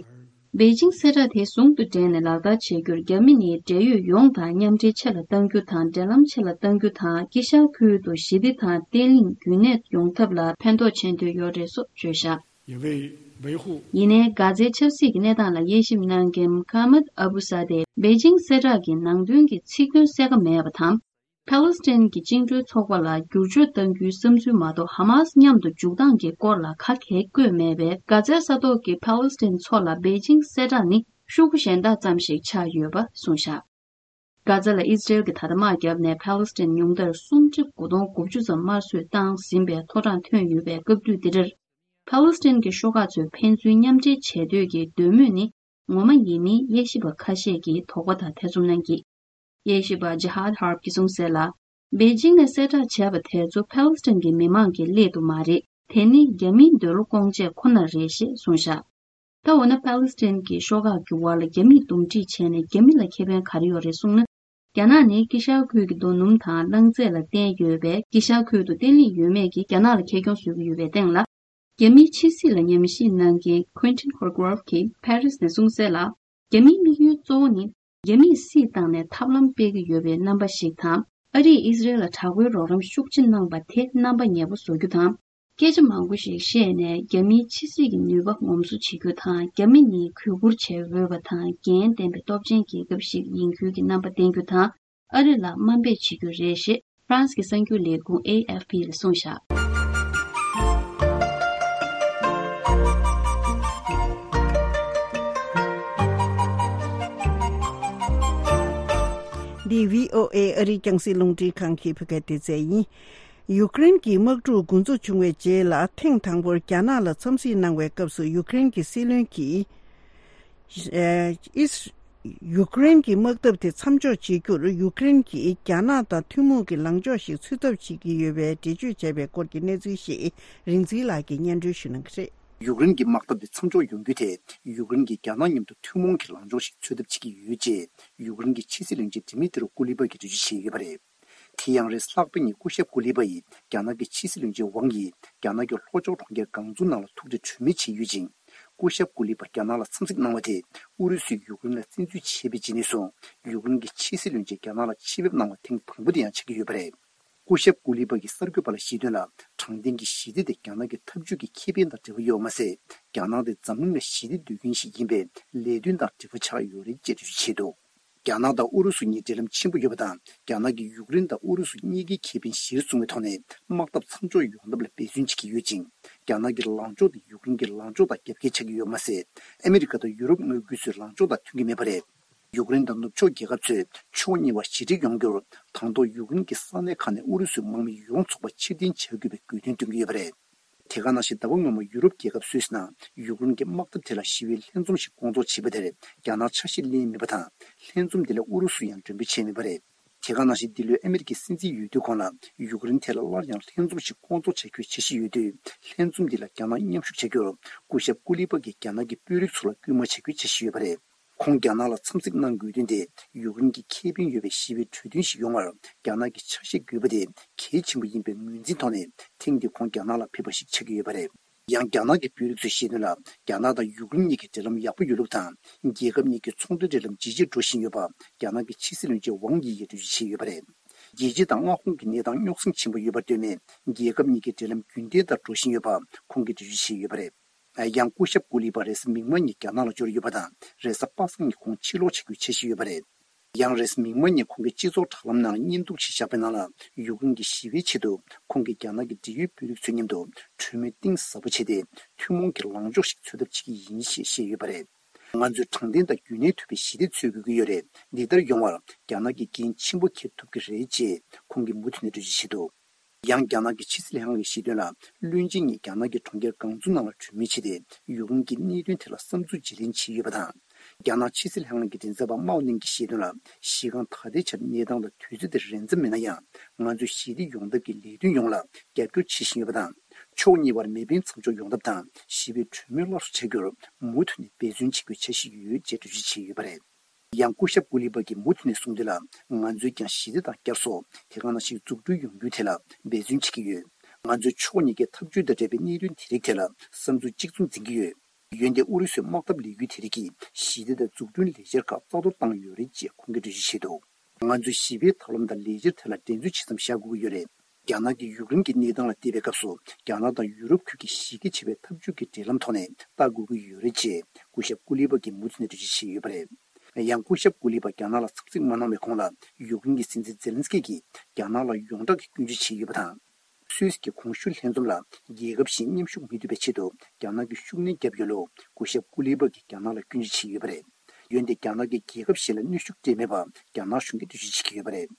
པེ་ཅིང་གསལ་བསྒྲགས་དེ་ཟུང་དུ་འབྲེལ་ནས་ལག་བསྟར་བྱེད་རྒྱུར། རྒྱ་མི་ནི་འབྲེལ་ཡོད་ཡོངས་དང་མཉམ་འབྲེལ་ཆེ་ལ་གཏང་རྒྱུ་དང་། འབྲེལ་ལམ་ཆེ་ལ་གཏང་རྒྱུ་དང་། དཀྱིལ་ཤར་ཁུལ་དུ་ཞི་བདེ་དང་བརྟན་ལྷིང་རྒྱུན་གནས་ཡོང་ཐབས་ལ་ཕན་ཐོགས་བྱེད་འདོད་ཡོད་རེད་སོགས་བརྗོད་བཞག། ཡིན་ནའི་གྷ་ཛའི་ཆབ་སྲིད་ཀྱི་གནས་སྟངས་ལ་དབྱེ་ཞིབ་གནང་མཁན་Mohammad Abu Sadeh། པེ་ཅིང་གསལ་བསྒྲགས་ཀྱི་ནང་དོན་གྱི་ཚིག་དོན་གསལ་ཁ་མེད་པ་དང་། ཕཱ་ལེ་སི་ཐན་གྱི་བཅིངས་འགྲོལ་ཚོགས་པ་ལ་བསྒྱུར་བཅོས་གཏང་རྒྱུའི་བསམ་ཚུལ་མ་གཏོགས། ཧ་མཱ་སི་མཉམ་དུ་འཇུག་སྟངས་ཀྱི་སྐོར་ལ་ག་གེ་བཀོད་མེད་པས། གྷ་ཛའི་ས་ཐོག་གི་ཕཱ་ལེ་སི་ཐན་ཚོ་ལ་པེ་ཅིང་གསལ་བསྒྲགས་ནི་ཤོག་གུ་གཞན་དག་ཙམ་ཞིག་ཆགས་ཡོད་པ་གསུངས་བཞག། གྷ་ཛ་ལ་ཨི་སི་རེལ་གྱིས་ད་ལྟ་དམག་བརྒྱབ་ནས་ཕཱ་ལེ་སི་ཐན་ཉུང་མཐར་སུམ་ཁྲི་དགུ་སྟོང་དགུ་བཅུ་ཙམ་དམར་གསོད་བཏང་ཟིན་པའི་ཐོ་རངས་ཐོན་ཡོད་པའི་སྐབས་དུས་འདི་འདྲར། ཕཱ་ལེ་སི་ཐན་གྱི་ཤོག་ཁག་ཚོས་ཕན་ཚུན་མཉམ་འབྲེལ་བྱེད་འདོད་ཀྱི་འདོད་མོས་ནི་ངོ་མ་ཡིན་མིན་དབྱེ་ཞིབ་པ་ཁ་ཤས་ཀྱིས་དོགས་པ་དང་ཐེ་ཚོམ་གནང་གི། དབྱེ་ཞིབ་པ་Jihad Harb་གྱིས་གསུངས་གསལ་ལ། པེ་ཅིང་ནས་གསལ་བསྒྲགས་བྱས་པ་དེ་ཚོ་ཕཱ་ལེ་སི་ཐན་གྱི་མི་མང་གི་སླད་དུ་མ་རེད། དེ་ནི་རྒྱ་མིའི་འདོད་བློ་སྐོང་ཆེད་ཁོ་ན་རེད་ཞེས་གསུངས་བཞག། ད་འོ་ན་ཕཱ་ལེ་སི་ཐན་གྱི་ཤོག་ཁག་གི་བར་ལ་རྒྱ་མིས་འདུམ་འགྲིག་བྱས་ནས་རྒྱ་མི་ལ་ཁེ་ཕན་ག་རེ་ཡོད་རེད་གསུངས་ན། རྒྱ་ནག་ནི་དཀྱིལ་ཤར་ཁུལ་གྱི་རྡོ་སྣུམ་དང་རླངས་རྫས་ལ་བརྟེན་ཡོད་པས། དཀྱིལ་ཤར་ཁུལ་དུ་བརྟན་ལྷིང་ཡོད་མེད་ཀྱིས་རྒྱ་ནག་ལ་ཁེ་གྱོང་བཟོ་གི་ཡོད་པའི་སྟེང་ལ། རྒྱ་མིའི་ཕྱི་སྲིད་ལ་ཉམས་ཞིབ་གནང་མཁན་Quentin Hoggrove་གྱིས་Paris་ནས་གསུངས་གསལ་ལ། རྒྱ་མིའི་དམིགས་ཡུལ་གཙོ་བོ་ནི། རྒྱ་མིས་སྲིད་བཏང་ནས་ཐབས་ལམ་སྤེལ་གྱི་ཡོད་པའི་རྣམ་པ་ཞིག་དང་། ཨ་རིས་ཨི་སི་རེལ་ལ་དྲག་པོའི་རོགས་རམ་ཤུགས་ཆེ་གནང་པ་དེ་རྣམ་པ་ངན་པ་བཟོ་རྒྱུ་དང་། སྐད་ཆ་མང་པོ་ཞིག་བཤད་ནས་རྒྱ་མིའི་ཕྱི་སྲིད་ཀྱི་ནུས་པ་ངོམ་སོ་བྱེད་རྒྱུ་དང་། རྒྱ་མི་ནི་གུས་བཀུར་བྱེད་འོས་པ་དང་། འགན་ལྡན་པའི་སྟོབས་ཆེན་རྒྱལ་ཁབ་ཞིག་ཡིན་ཁུལ་གྱི་རྣམ་པ་བསྟན་རྒྱུ་དང་། ཨ་རི་ལ་དམའ་འབེབས་བྱེད་རྒྱུ་རེད་ཞེས་ཧྥ་རན་སི་གི་གསར་འགྱུར་ལས་ཁུངས་ཨེ་ཨེཕ་པི་ལ་གསུངས་བཞག། འདི་བྷི་ཨོ་ཨེ་ཨ་རིའི་རྒྱང་སྲིང་རླུང་འཕྲིན་ཁང་གི་བོད་སྐད་སྡེ་ཚན་ཡིན། ཡུཀ་རེན་གྱི་དམག་འཁྲུག་འགོ་འཛུགས་བྱུང་བའི་རྗེས་ལ་ཐེངས་དང་པོར་རྒྱ་ནག་ལ་འཚམས་གཟིགས་གནང་བའི་སྐབས་སུ། ཡུཀ་རེན་གྱི་སྲིད་བློན་གྱིས། ཨིས། ཡུཀ་རེན་གྱི་དམག་འཐབ་དེ་མཚམས་འཇོག་བྱེད་རྒྱུར་ཡུཀ་རེན་གྱིས་རྒྱ་ནག་དང་ཐུན་མོང་གི་ལངས་ཕྱོགས་ཤིག་འཚོལ་ཐབས་བྱེད་ཀྱི་ཡོད་པའི་འགྲེལ་བརྗོད་བྱས་པའི་སྐོར་གྱི་གནས་ཚུལ་ཞིག་རིག་འཛིན་ལགས་ཀྱིས་སྙན་སྒྲོན་ཞུ་གནང་གི་རེད། ཡུཀ་རེན་གྱི་དམག་འཐབ་དེ་མཚམས་འཇོག་ཡོང་རྒྱུ་དེ། ཡུཀ་རེན་གྱིས་རྒྱ་ནག་མཉམ་དུ་ཐུན་མོང་གི་ལངས་ཕྱོགས་ཤིག་འཚོལ་ཐབས་བྱེད་ཀྱི་ཡོད་ཅེས་ཡུཀ་རེན་གྱི་ཕྱི་སྲིད་བློན་ཆེན་ཌི་མི་ཏི་རོ་ཀུ་ལི་པ་གིས་འགྲེལ་བརྗོད་བྱས་ཡོད་པ་རེད། དེ་ཡང་རེས་ལྷག་པ་ཉིན་སྐུ་ཞབས་ཀུ་ལི་པ་ཡིས་རྒྱ་ནག་གི་ཕྱི་སྲིད་བློན་ཆེན་ཝང་ཡིས་རྒྱ་ནག་གི་ལྷོ་ཕྱོགས་གྲོང་ཁྱེར་ཀང་ཙུའུ་ནང་ལ་ཐུག་འཕྲད་གྲོས་མོལ་བྱས་ཡོད་ཅིང་། སྐུ་ཞབས་ཀུ་ལི་པ་རྒྱ་ནག་ལ་འཚམས་གཟིགས་གནང་བ་དེ་ཨུ་རུ་སུས་ཡུཀ་རེན་ལ་བཙན་འཛུལ་བྱས་པའི་རྗེས་ནས་བཟུང་ཡུཀ་རེན་གྱི་ཕྱི་སྲིད་བློན་ཆེན་རྒྱ་ནག་ལ་ཆེད་ཕེབས་གནང་བ་ཐེངས་དང་པོ་དེ་ཡང་ཆགས་ཀྱི་ཡོད་པ་རེད། སྐུ་ཞབས་ཀུ་ལི་པ་གིས་གསར་འགོད་པ་ལ་བཤད་དོན་ལ། དྲང་བདེན་གྱི་ཞི་བདེ་དེ་རྒྱ་ནག་གི་འཐབ་ཇུས་ཀྱི་ཁེ་ཕན་དང་འབྲེལ་བ་ཡོད་པ་མ་ཟད། རྒྱ་ནག་དེ་འཛམ་གླིང་ལ་ཞི་བདེ་འདོད་མཁན་ཞིག་ཡིན་པས་ལས་དོན་དང་འབྲེལ་བ་ཆགས་ཡོད་རེད་ཅེས་འགྲེལ་བརྗོད་བྱས་འདུག། རྒྱ་ནག་དང་ཨུ་རུ་སུ་གཉིས་འབྲེལ་ལམ་ཆེན་པོ་ཡོད་པ་དང་། རྒྱ་ནག་གིས་ཡུཀ་རེན་དང་ཨུ་རུ་སུ་གཉིས་ཀའི་ཁེ་ཕན་གཞིར་བཟུང་བའི་ཐོག་ནས་དམག་འཐབ་མཚམས་འཇོག་ཡོང་ཐབས་ལ་འབད་བརྩོན་བྱེད་ཀྱི་ཡོད་ཅིང་། རྒྱ་ནག་གི་ལངས་ཕྱོགས་དེ་ཡུཀ་རེན་གྱི་ལངས་ཕྱོགས་དང་རྒྱབ་འགལ་ཆགས་ཀྱི་ཡོད་པ་མ་ཟད། ཨ་མི་རི་ཀ་དང་ཡུ་རོབ་མངའ་ཁུལ་ཚོའི་ལངས་ཕྱོགས་དང་མཐུན་གྱི་མེད་པ་རེད། ཡུཀ་རེན་དང་ནུབ་ཕྱོགས་རྒྱལ་ཁབ་ཚོས་ཕྱོགས་གཉིས་བར་ཞི་འགྲིག་ཡོང་རྒྱུར། དང་ཐོག་ཡུཀ་རེན་གྱི་ས་གནས་ཁག་ནས་ཨུ་རུ་སུའི་དམག་མི་ཡོངས་རྫོགས་པ་ཕྱིར་འཐེན་བྱ་དགོས་པའི་དགོས་འདུན་བཏོན་གྱི་ཡོད་པ་རེད། དེ་ག་ནང་བཞིན་ཟླ་བ་སྔོན་མ་ཡུ་རོབ་རྒྱལ་ཁབ་སུད་སི་ནང་ཡུཀ་རེན་གྱི་དམག་འཐབ་ཐད་ལ་ཞི་བའི་ལྷན་འཛོམས་ཤིག་སྐོང་ཚོགས་བྱས་པ་དེར་རྒྱ་ནག་ཆ་ཤས་ལེན་མེད་པ་དང་། ལྷན་འཛོམས་འདི་ལ་ཨུ་རུ་སུ་ཡང་མགྲོན་འབོད་བྱས་མེད་པ་རེད། དེ་ག་ནང་བཞིན་འདི་ལོའི་ཨ་མེ་རི་ཀའི་སྲིད་འཛིན་འོས་བསྡུའི་གོང་ལ་ཡུཀ་རེན་ཐད་ལ་སླར་ཡང་ལྷན་འཛོམས་ཤིག་སྐོང་ཚོགས་བྱ་རྒྱུའི་འཆར་གཞི་ཡོད་དུས། ལྷན་འཛོམས་འདི་ལ་རྒྱ་ནག་མཉམ་ཞུགས་བྱ་རྒྱུར་སྐུ་ཞབས་ཀུ་ལི་པ་གིས་རྒྱ་ནག་གི་དཔོན་རིགས་ཚོ་ལ་སྐུལ་མ་བྱ་རྒྱུའི་འཆར་གཞི་ཡོད་པ་རེད། ཁོང་རྒྱ་ནག་ལ་འཚམས་གཟིགས་གནང་དགོས་དོན་དེ་ཡུཀ་རེན་གྱི་ཁེ་ཕན་ཡོད་པའི་ཞི་བའི་གྲོས་མཐུན་ཞིག་ཡོང་བར་རྒྱ་ནག་གི་ཆ་ཤས་དགོས་པ་དེ་གལ་ཆེན་པོ་ཡིན་པའི་ངོས་འཛིན་ཐོག་ནས་ཐེངས་འདིར་ཁོང་རྒྱ་ནག་ལ་ཕེབས་པ་ཞིག་ཆགས་ཀྱི་ཡོད་པ་རེད། ཡང་རྒྱ་ནག་གི་དཔོན་རིགས་ཚོས་བཤད་དོན་ལ། རྒྱ་ནག་དང་ཡུཀ་རེན་གཉིས་ཀྱི་འབྲེལ་ལམ་ཡག་པོ་ཡོད་ལུགས་དང་། རྒྱལ་ཁབ་གཉིས་ཀྱི་ཚོང་དོན་འབྲེལ་ལམ་ཇེ་ཆེར་འགྲོ་བཞིན་ཡོད་པ་རྒྱ་ནག་གི་ཕྱི་སྲིད་བློན་ཆེན་ཝང་དབྱི་ཡིས་འགྲེལ་བརྗོད་བྱས་ཡོད་པ་རེད། རྒྱལ་སྤྱི་དང་མངའ་ཁོངས་ཀྱི་གནས་སྟངས་རྙོག་ཟིང་ཆེན་པོ་ཡོད་པར་ལྟོས་ནས། རྒྱལ་ཁབ་གཉིས་ཀྱི་འབྲེལ་ལམ་རྒྱུན་ལྡན་ལྟར་འགྲོ་བཞིན་ཡོད་པ་ཁོང་གིས་འགྲེལ་བརྗོད་བྱས་ཡོད་པ་རེད། ཡང་སྐུ་ཞབས་ཀུ་ལི་པ་རེས་གཟའ་མིག་དམར་ཉིན་རྒྱ་ནག་ལ་འབྱོར་ཡོད་པ་དང་། རེས་གཟའ་པ་སངས་ཉིན་ཁོང་ཕྱིར་ལོག་བྱ་རྒྱུའི་འཆར་གཞི་ཡོད་པ་རེད། ཡང་རེས་མིག་དམར་ཉིན་ཁོང་གིས་སྤྱི་ཚོགས་དྲ་ལམ་ནང་ལ་བརྙན་ཐུང་ཞིག་བཞག་པའི་ནང་ལ། ཡུཀ་རེན་གྱི་ཞི་བའི་ཆེད་དུ་ཁོང་གིས་རྒྱ་ནག་གི་འབྲེལ་ཡོད་དཔོན་རིགས་ཚོའི་མཉམ་དུ་གྲོས་མོལ་གཏིང་ཟབ་པོ་བྱས་ཏེ། ཐུན་མོང་གི་ལངས་ཕྱོགས་ཤིག་འཚོལ་ཐབས་བྱེད་ཀྱི་ཡིན་ཞེས་བཤད་ཡོད་པ་རེད། ང་ཚོས་དྲང་བདེན་དང་རྒྱུན་གནས་ཐུབ་པའི་ཞི་བདེ་འཚོལ་དགོས་ཀྱི་ཡོད་རེད། འདི་ལྟར་ཡོང་བར་རྒྱ་ནག་གིས་འགན་ཆེན་པོ་འཁྱེར་ཐུབ་ཀྱི་རེད་ཅེས་ཁོང་གིས་མུ་མཐུད་ནས་འགྲེལ་བརྗོད་བྱས་འདུག་ཡང་རྒྱ་ནག་གི་ཕྱི་སྲིད་ལྷན་ཁང་གིས་བཤད་དོན་ལ། བློན་ཆེན་གཉིས་རྒྱ་ནག་གི་གྲོང་ཁྱེར་ཀང་ཙུའུ་ནང་ལ་གྲོས་མོལ་བྱས་ཏེ། ཡུཀ་རེན་གྱི་གནད་དོན་ཐད་ལ་བསམ་ཚུལ་བརྗེ་ལེན་བྱས་ཡོད་པ་དང་། རྒྱ་ནག་ཕྱི་སྲིད་ལྷན་ཁང་གི་མགྲིན་ཚབ་པ་མའོ་ནིང་གིས་བཤད་དོན་ལ། གཞི་རྐང་ད་ལྟའི་ཆར་གནས་སྟངས་དང་དུས་ཚོད་དེ་རན་ཙམ་མིན་ན་ཡང་། ང་ཚོས་ཞི་བདེ་ཡོང་ཐབས་ཀྱི་ལས་དོན་ཡོངས་ལ་རྒྱབ་སྐྱོར་བྱེད་བཞིན་ཡོད་པ་དང་། ཕྱོགས་གཉིས་བར་མེ་འཕེན་མཚམས་འཇོག་ཡོང་ཐབས་དང་། ཞི་བའི་གྲོས་མོལ་སླར་གསོ་བྱ་རྒྱུར་མུ་མཐུད་ནས་འབད་བརྩོན་བྱེད་དགོས་འཆར་གཞི་ཡོད་ཅེས་འགྲེལ་བརྗོད་བྱས་ཡོད་པ་རེད། ཡང་སྐུ་ཞབས་ཀུ་ལི་པ་གིས་མུ་མཐུད་ནས་གསུངས་དོན་ལ། ང་ཚོས་ཀྱང་ཞི་བདེ་དང་བསྐྱར་གསོ། དེ་ག་ནང་བཞིན་འཛུགས་སྐྲུན་ཡོང་རྒྱུའི་ཐད་ལ་འབད་བརྩོན་བྱེད་ཀྱི་ཡོད། ང་ཚོས་ཕྱོགས་གཉིས་ཀའི་འཐབ་ཇུས་དང་འབྲེལ་བའི་གནད་དོན་དེ་རིགས་ཐད་ལ་བསམ་ཚུལ་གཅིག་མཚུངས་འཛིན་གྱི་ཡོད། འོན་ཏེ་ཨུ་རུ་སུའི་དམག་འཐབ་ལས་འགུལ་དེ་རིགས་ཀྱིས་ཞི་བདེ་དང་འཛུགས་སྐྲུན་ལས་འཆར་ཁག་རྩ་གཏོར་བཏང་ཡོད་རེད་ཅེས་ཁོང་གིས་འགྲེལ་བརྗོད་བྱས་འདུག་ང་ཚོས་ཞི་བའི་ཐབས་ལམ་དང་ལས་འཆར་ཐད་ལ་འགྲན་རྩོད་ཇི་ཙམ་བྱ་དགོས་ཀྱི་ཡོད་རེད། རྒྱ་ནག་གིས་ཡུཀ་རེན་གྱི་གནས་སྟངས་ལ་བལྟས་པའི་སྐབས་སུ། རྒྱ་ནག་དང་ཡུ་རོབ་ཁུལ་གྱི་གཞི་རྒྱ་ཆེ་བའི་འཐབ་ཇུས་ཀྱི་འབྲེལ་ལམ་ཐོག་ནས་ལྟ་དགོས་ཀྱི་ཡོད་རེད་ཅེས་སྐུ་ཞབས་ཀུ་ལི་པ་གིས་མུ་མཐུད་ནས་འགྲེལ་བརྗོད་བྱས་ཡོད་པ་རེད། ཡང་སྐུ་ཞབས་ཀུ་ལི་པ་རྒྱ་ནག་ལ་འཚམས་གཟིགས་མ་གནང་བའི་གོང་ལ། ཡུཀ་རེན་གྱི་སྲིད་འཛིན་ཛེ་ལན་སི་ཀི་གིས་རྒྱ་ནག་ལ་ཡོངས་གྲགས་ཀྱི་སྐྱོན་བརྗོད་བྱས་ཡོད་པ་དང་། སུད་སི་གི་གོང་ཞུས་ལྷན་འཛོམས་ལ་རྒྱལ་ཁབ་གཞན་མཉམ་ཞུགས་མི་ཐུབ་པའི་ཆེད་དུ་རྒྱ་ནག་གིས་ཤུགས་སྣོན་བརྒྱབ་ཡོད་ལུགས་སྐུ་ཞབས་ཀུ་ལི་པ་གིས་རྒྱ་ནག་ལ་སྐྱོན་བརྗོད་བྱས་ཡོད་པ་རེད། འོན་ཏེ་རྒྱ་ནག་གིས་རྒྱལ་ཁབ་གཞན་ལ་གནོན་ཤུགས་སྤྲད་མེད་པ་རྒྱ་ནག་གཞུང་གིས་འགྲེལ་བརྗོད་བྱེད་ཀྱི་ཡོད་པ་རེད།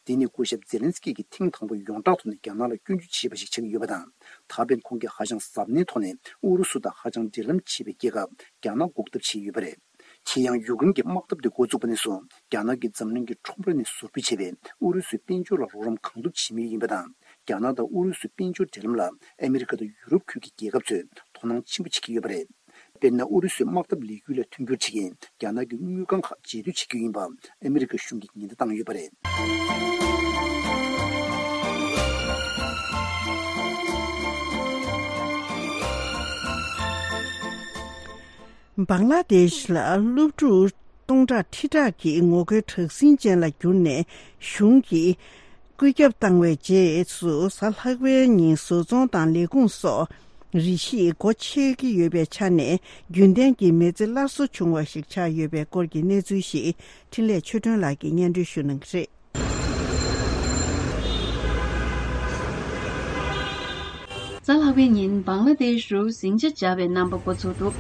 འདི་ནི་སྐུ་ཞབས་ཛེ་ལན་སི་ཀི་གིས་ཐེངས་དང་པོ་ཡོངས་གྲགས་ཐོག་ནས་རྒྱ་ནག་ལ་སྐྱོན་བརྗོད་བྱས་པ་ཞིག་ཆགས་ཀྱི་ཡོད་པ་དང་། ད་ཕན་ཁོང་གིས་ཧ་ཅང་གཟབ་ནན་ཐོག་ནས་ཨུ་རུ་སུ་དང་ཧ་ཅང་འབྲེལ་ལམ་ཆེ་བའི་རྒྱལ་ཁབ་རྒྱ་ནག་འགོག་ཐབས་བྱས་ཡོད་པ་རེད། དེ་ཡང་ཡུཀ་རེན་གྱི་དམག་འཐབ་དེ་འགོ་བཙུགས་པ་ནས་བཟུང་རྒྱ་ནག་གིས་འཛམ་གླིང་གི་ཁྲོམ་ར་ནས་ཟུར་འབུད་བྱས་པའི་ཨུ་རུ་སུའི་དཔལ་འབྱོར་ལ་རོགས་རམ་གང་ཐུབ་བྱེད་མུས་ཡིན་པ་དང་། རྒྱ་ནག་དང་ཨུ་རུ་སུའི་དཔལ་འབྱོར་འབྲེལ་ལམ་ལ་ཨ་མི་རི་ཀ་དང་ཡུ་རོབ་ཁུལ་གྱི་རྒྱལ་ཁབ་ཚོས་དོ་སྣང་ཆེན་པོ་བྱེད་ཀྱི་ཡོད་པ་རེད། དཔེར་ན། ཨུ་རུ་སུའི་དམག་འཐབ་ལས་འགུལ་ལ་མཐུན་འགྱུར་བྱེད་མཁན་རྒྱ་ནག་གི་དངུལ་ཁང་ཁག་རྗེས་སྡུད་བྱེད་རྒྱུ་ཡིན་པ་ཨ་མི་རི་ཀ་གཞུང་གིས་ཉེན་བརྡ་བཏང་ཡོད་པ་རེད། བང་ལ་དེཤ་ལ་སློབ་ཕྲུག་སྟོང་ཕྲག་ཁྲི་ཕྲག་གིས་ངོ་རྒོལ་དྲག་ཟིང་ཅན་ལ་གྱུར་ནས་གཞུང་གིས་བཀོད་ཁྱབ་བཏང་བའི་རྗེས་སུ། གཟའ་ལྷག་པའི་ཉིན་བཟོ་ཚོང་དང་ལས་ཁུངས་སོགས་རེ་ཞིག་སྒོ་ཕྱེ་གི་ཡོད་པའི་ཆ་ནས། རྒྱུན་ལྡན་གྱི་མི་ཚེ་སླར་གསོ་བྱུང་བ་ཞིག་ཆགས་ཡོད་པའི་སྐོར་གྱི་གནས་ཚུལ་ཞིག་འཕྲིན་ལས་ཆོས་སྒྲོན་ལགས་ཀྱིས་སྙན་སྒྲོན་ཞུ་གནང་གི་རེད། གཟའ་ལྷག་པའི་ཉིན་བང་ལ་དེཤ་རུ་ཟིང་ཆ་འཇགས་པའི་རྣམ་པ་འགོ་ཚུགས་འདུག་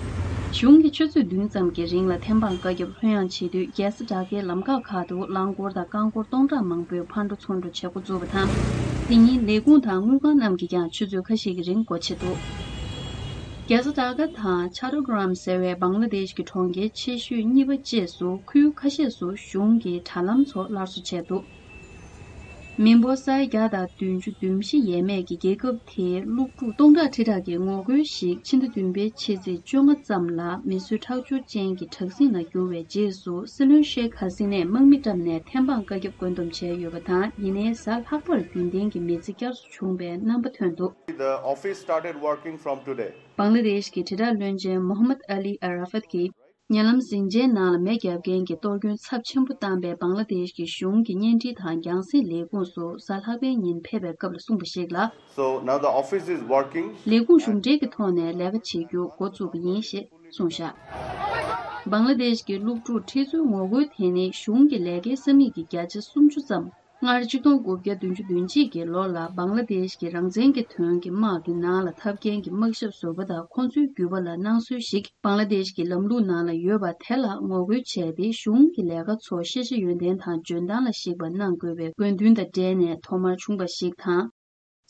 གཞུང་གིས་ཆུ་ཚོད་བདུན་ཙམ་གྱི་རིང་ལ་ཐེམ་སྤང་བཀའ་ཁྱབ་ལྷོད་ཡངས་བྱེད་དུས། རྒྱལ་ས་ཌ་ཀའི་ལམ་ཁག་ཁག་ཏུ་རླངས་འཁོར་དང་རྐང་འཁོར་སྟོང་ཕྲག་མང་པོས་ཕར་འགྲོ་ཚུར་འགྲོ་བྱེད་འགོ་བཙུགས་པ་དང་། དེ་ཉིན་ལས་ཁུངས་དང་དངུལ་ཁང་རྣམས་ཀྱིས་ཀྱང་ཆུ་ཚོད་ཁ་ཤས་ཀྱི་རིང་སྒོ་ཕྱེ་འདུག་རྒྱལ་ས་ཌ་ཀ་དང་ཆ་ཏོ་གྷ་རམ་ཟེར་བའི་བང་ལ་དེཤ་གི་གྲོང་ཁྱེར་ཆེ་ཤོས་གཉིས་པ་བཅས་སུ་ཁུལ་ཁ་ཤས་སུ་གཞུང་གིས་དྲ་ལམ་ཚོ་སླར་གསོ་བྱས་འདུག་མི་འབོར་ས་ཡ་བརྒྱ་དང་བདུན་ཅུ་དོན་བཞི་ཡས་མས་ཀྱི་རྒྱལ་ཁབ་དེའི་སློབ་ཕྲུག་སྟོང་ཕྲག་ཁྲི་ཕྲག་གིས་ངོ་རྒོལ་ཞིག་ཕྱི་ཟླ་བདུན་པའི་ཕྱི་ཚེས་བཅོ་ལྔ་ཙམ་ལ་མི་གསོད་ཁྲག་སྦྱོར་ཅན་གྱི་དྲག་ཟིང་ལ་གྱུར་བའི་རྗེས་སུ། སྲིད་བློན་ཤེག་ཧ་སི་ནས་དམག་མི་བཀྲམ་ནས་ཐེམ་སྤང་བཀའ་ཁྱབ་བཀོད་འདོམས་བྱས་ཡོད་པ་དང་། ཡིན་ནའི་གཟའ་ལྷག་པར་རྒྱུན་ལྡན་གྱི་མི་ཚེ་བསྐྱར་གསོ་བྱུང་བའི་རྣམ་པ་ཐོན་འདུག The office started working from today. བང་ལ་དེཤ་གི་དྲིལ་བསྒྲགས་བློན་ཆེན་མོ་ཧམ་མད་ཨ་ལི་ཨ་ར་ཧྥད་ཀྱིས། ཉེ་ལམ་ཟིང་ཆའི་ནང་ལ་མེ་བརྒྱབ་མཁན་གྱི་གཏོར་སྐྱོན་ཚབས་ཆེན་པོ་བཏང་པའི་བང་ལ་དེཤ་གི་གཞུང་གི་བརྙན་འཕྲིན་དང་རྒྱང་སྲིང་ལས་ཁུངས་སུ་གཟའ་ལྷག་པའི་ཉིན་ཕེབས་པའི་སྐབས་ལ་གསུངས་པ་ཞིག་ལ། So now the office is working. ལས་ཁུངས་གཞུང་འབྲེལ་གྱི་ཐོག་ནས་ལས་ཀ་བྱེད་རྒྱུ་འགོ་བཙུགས་པ་ཡིན་ཞེས་གསུངས་བཞག་བང་ལ་དེཤ་གི་སློབ་ཕྲུག་ཁྲི་ཚོའི་ངོ་རྒོལ་དེ་ནི་གཞུང་གི་ལས་ཀའི་ས་མིག་གི་བརྒྱ་ཆ་སུམ་ཅུ་ཙམ། སྔར་ཆིག་སྟོང་དགུ་བརྒྱ་བདུན་ཅུ་དོན་གཅིག་གི་ལོ་ལ་བང་ལ་དེཤ་གི་རང་བཙན་གྱི་དོན་གྱི་དམག་གི་ནང་ལ་འཐབ་མཁན་གྱི་དམག་ཞབས་ཟུར་པ་དང་ཁོང་ཚོའི་རྒྱུད་པ་ལ་གནང་སྲོལ་ཞིག་བང་ལ་དེཤ་གི་ལམ་ལུགས་ནང་ལ་ཡོད་པ་དེ་ལ་ངོ་རྒོལ་བྱས་ཏེ། གཞུང་གི་ལས་ཀ་ཚོ་ཤེས་བྱ་ཡོན་ཏན་དང་འཇོན་ཐང་ལ་གཞིགས་པ་གནང་དགོས་པའི་དགོས་འདུན་དང་འབྲེལ་ནས་ཐོག་མར་བྱུང་བ་ཞིག་དང་།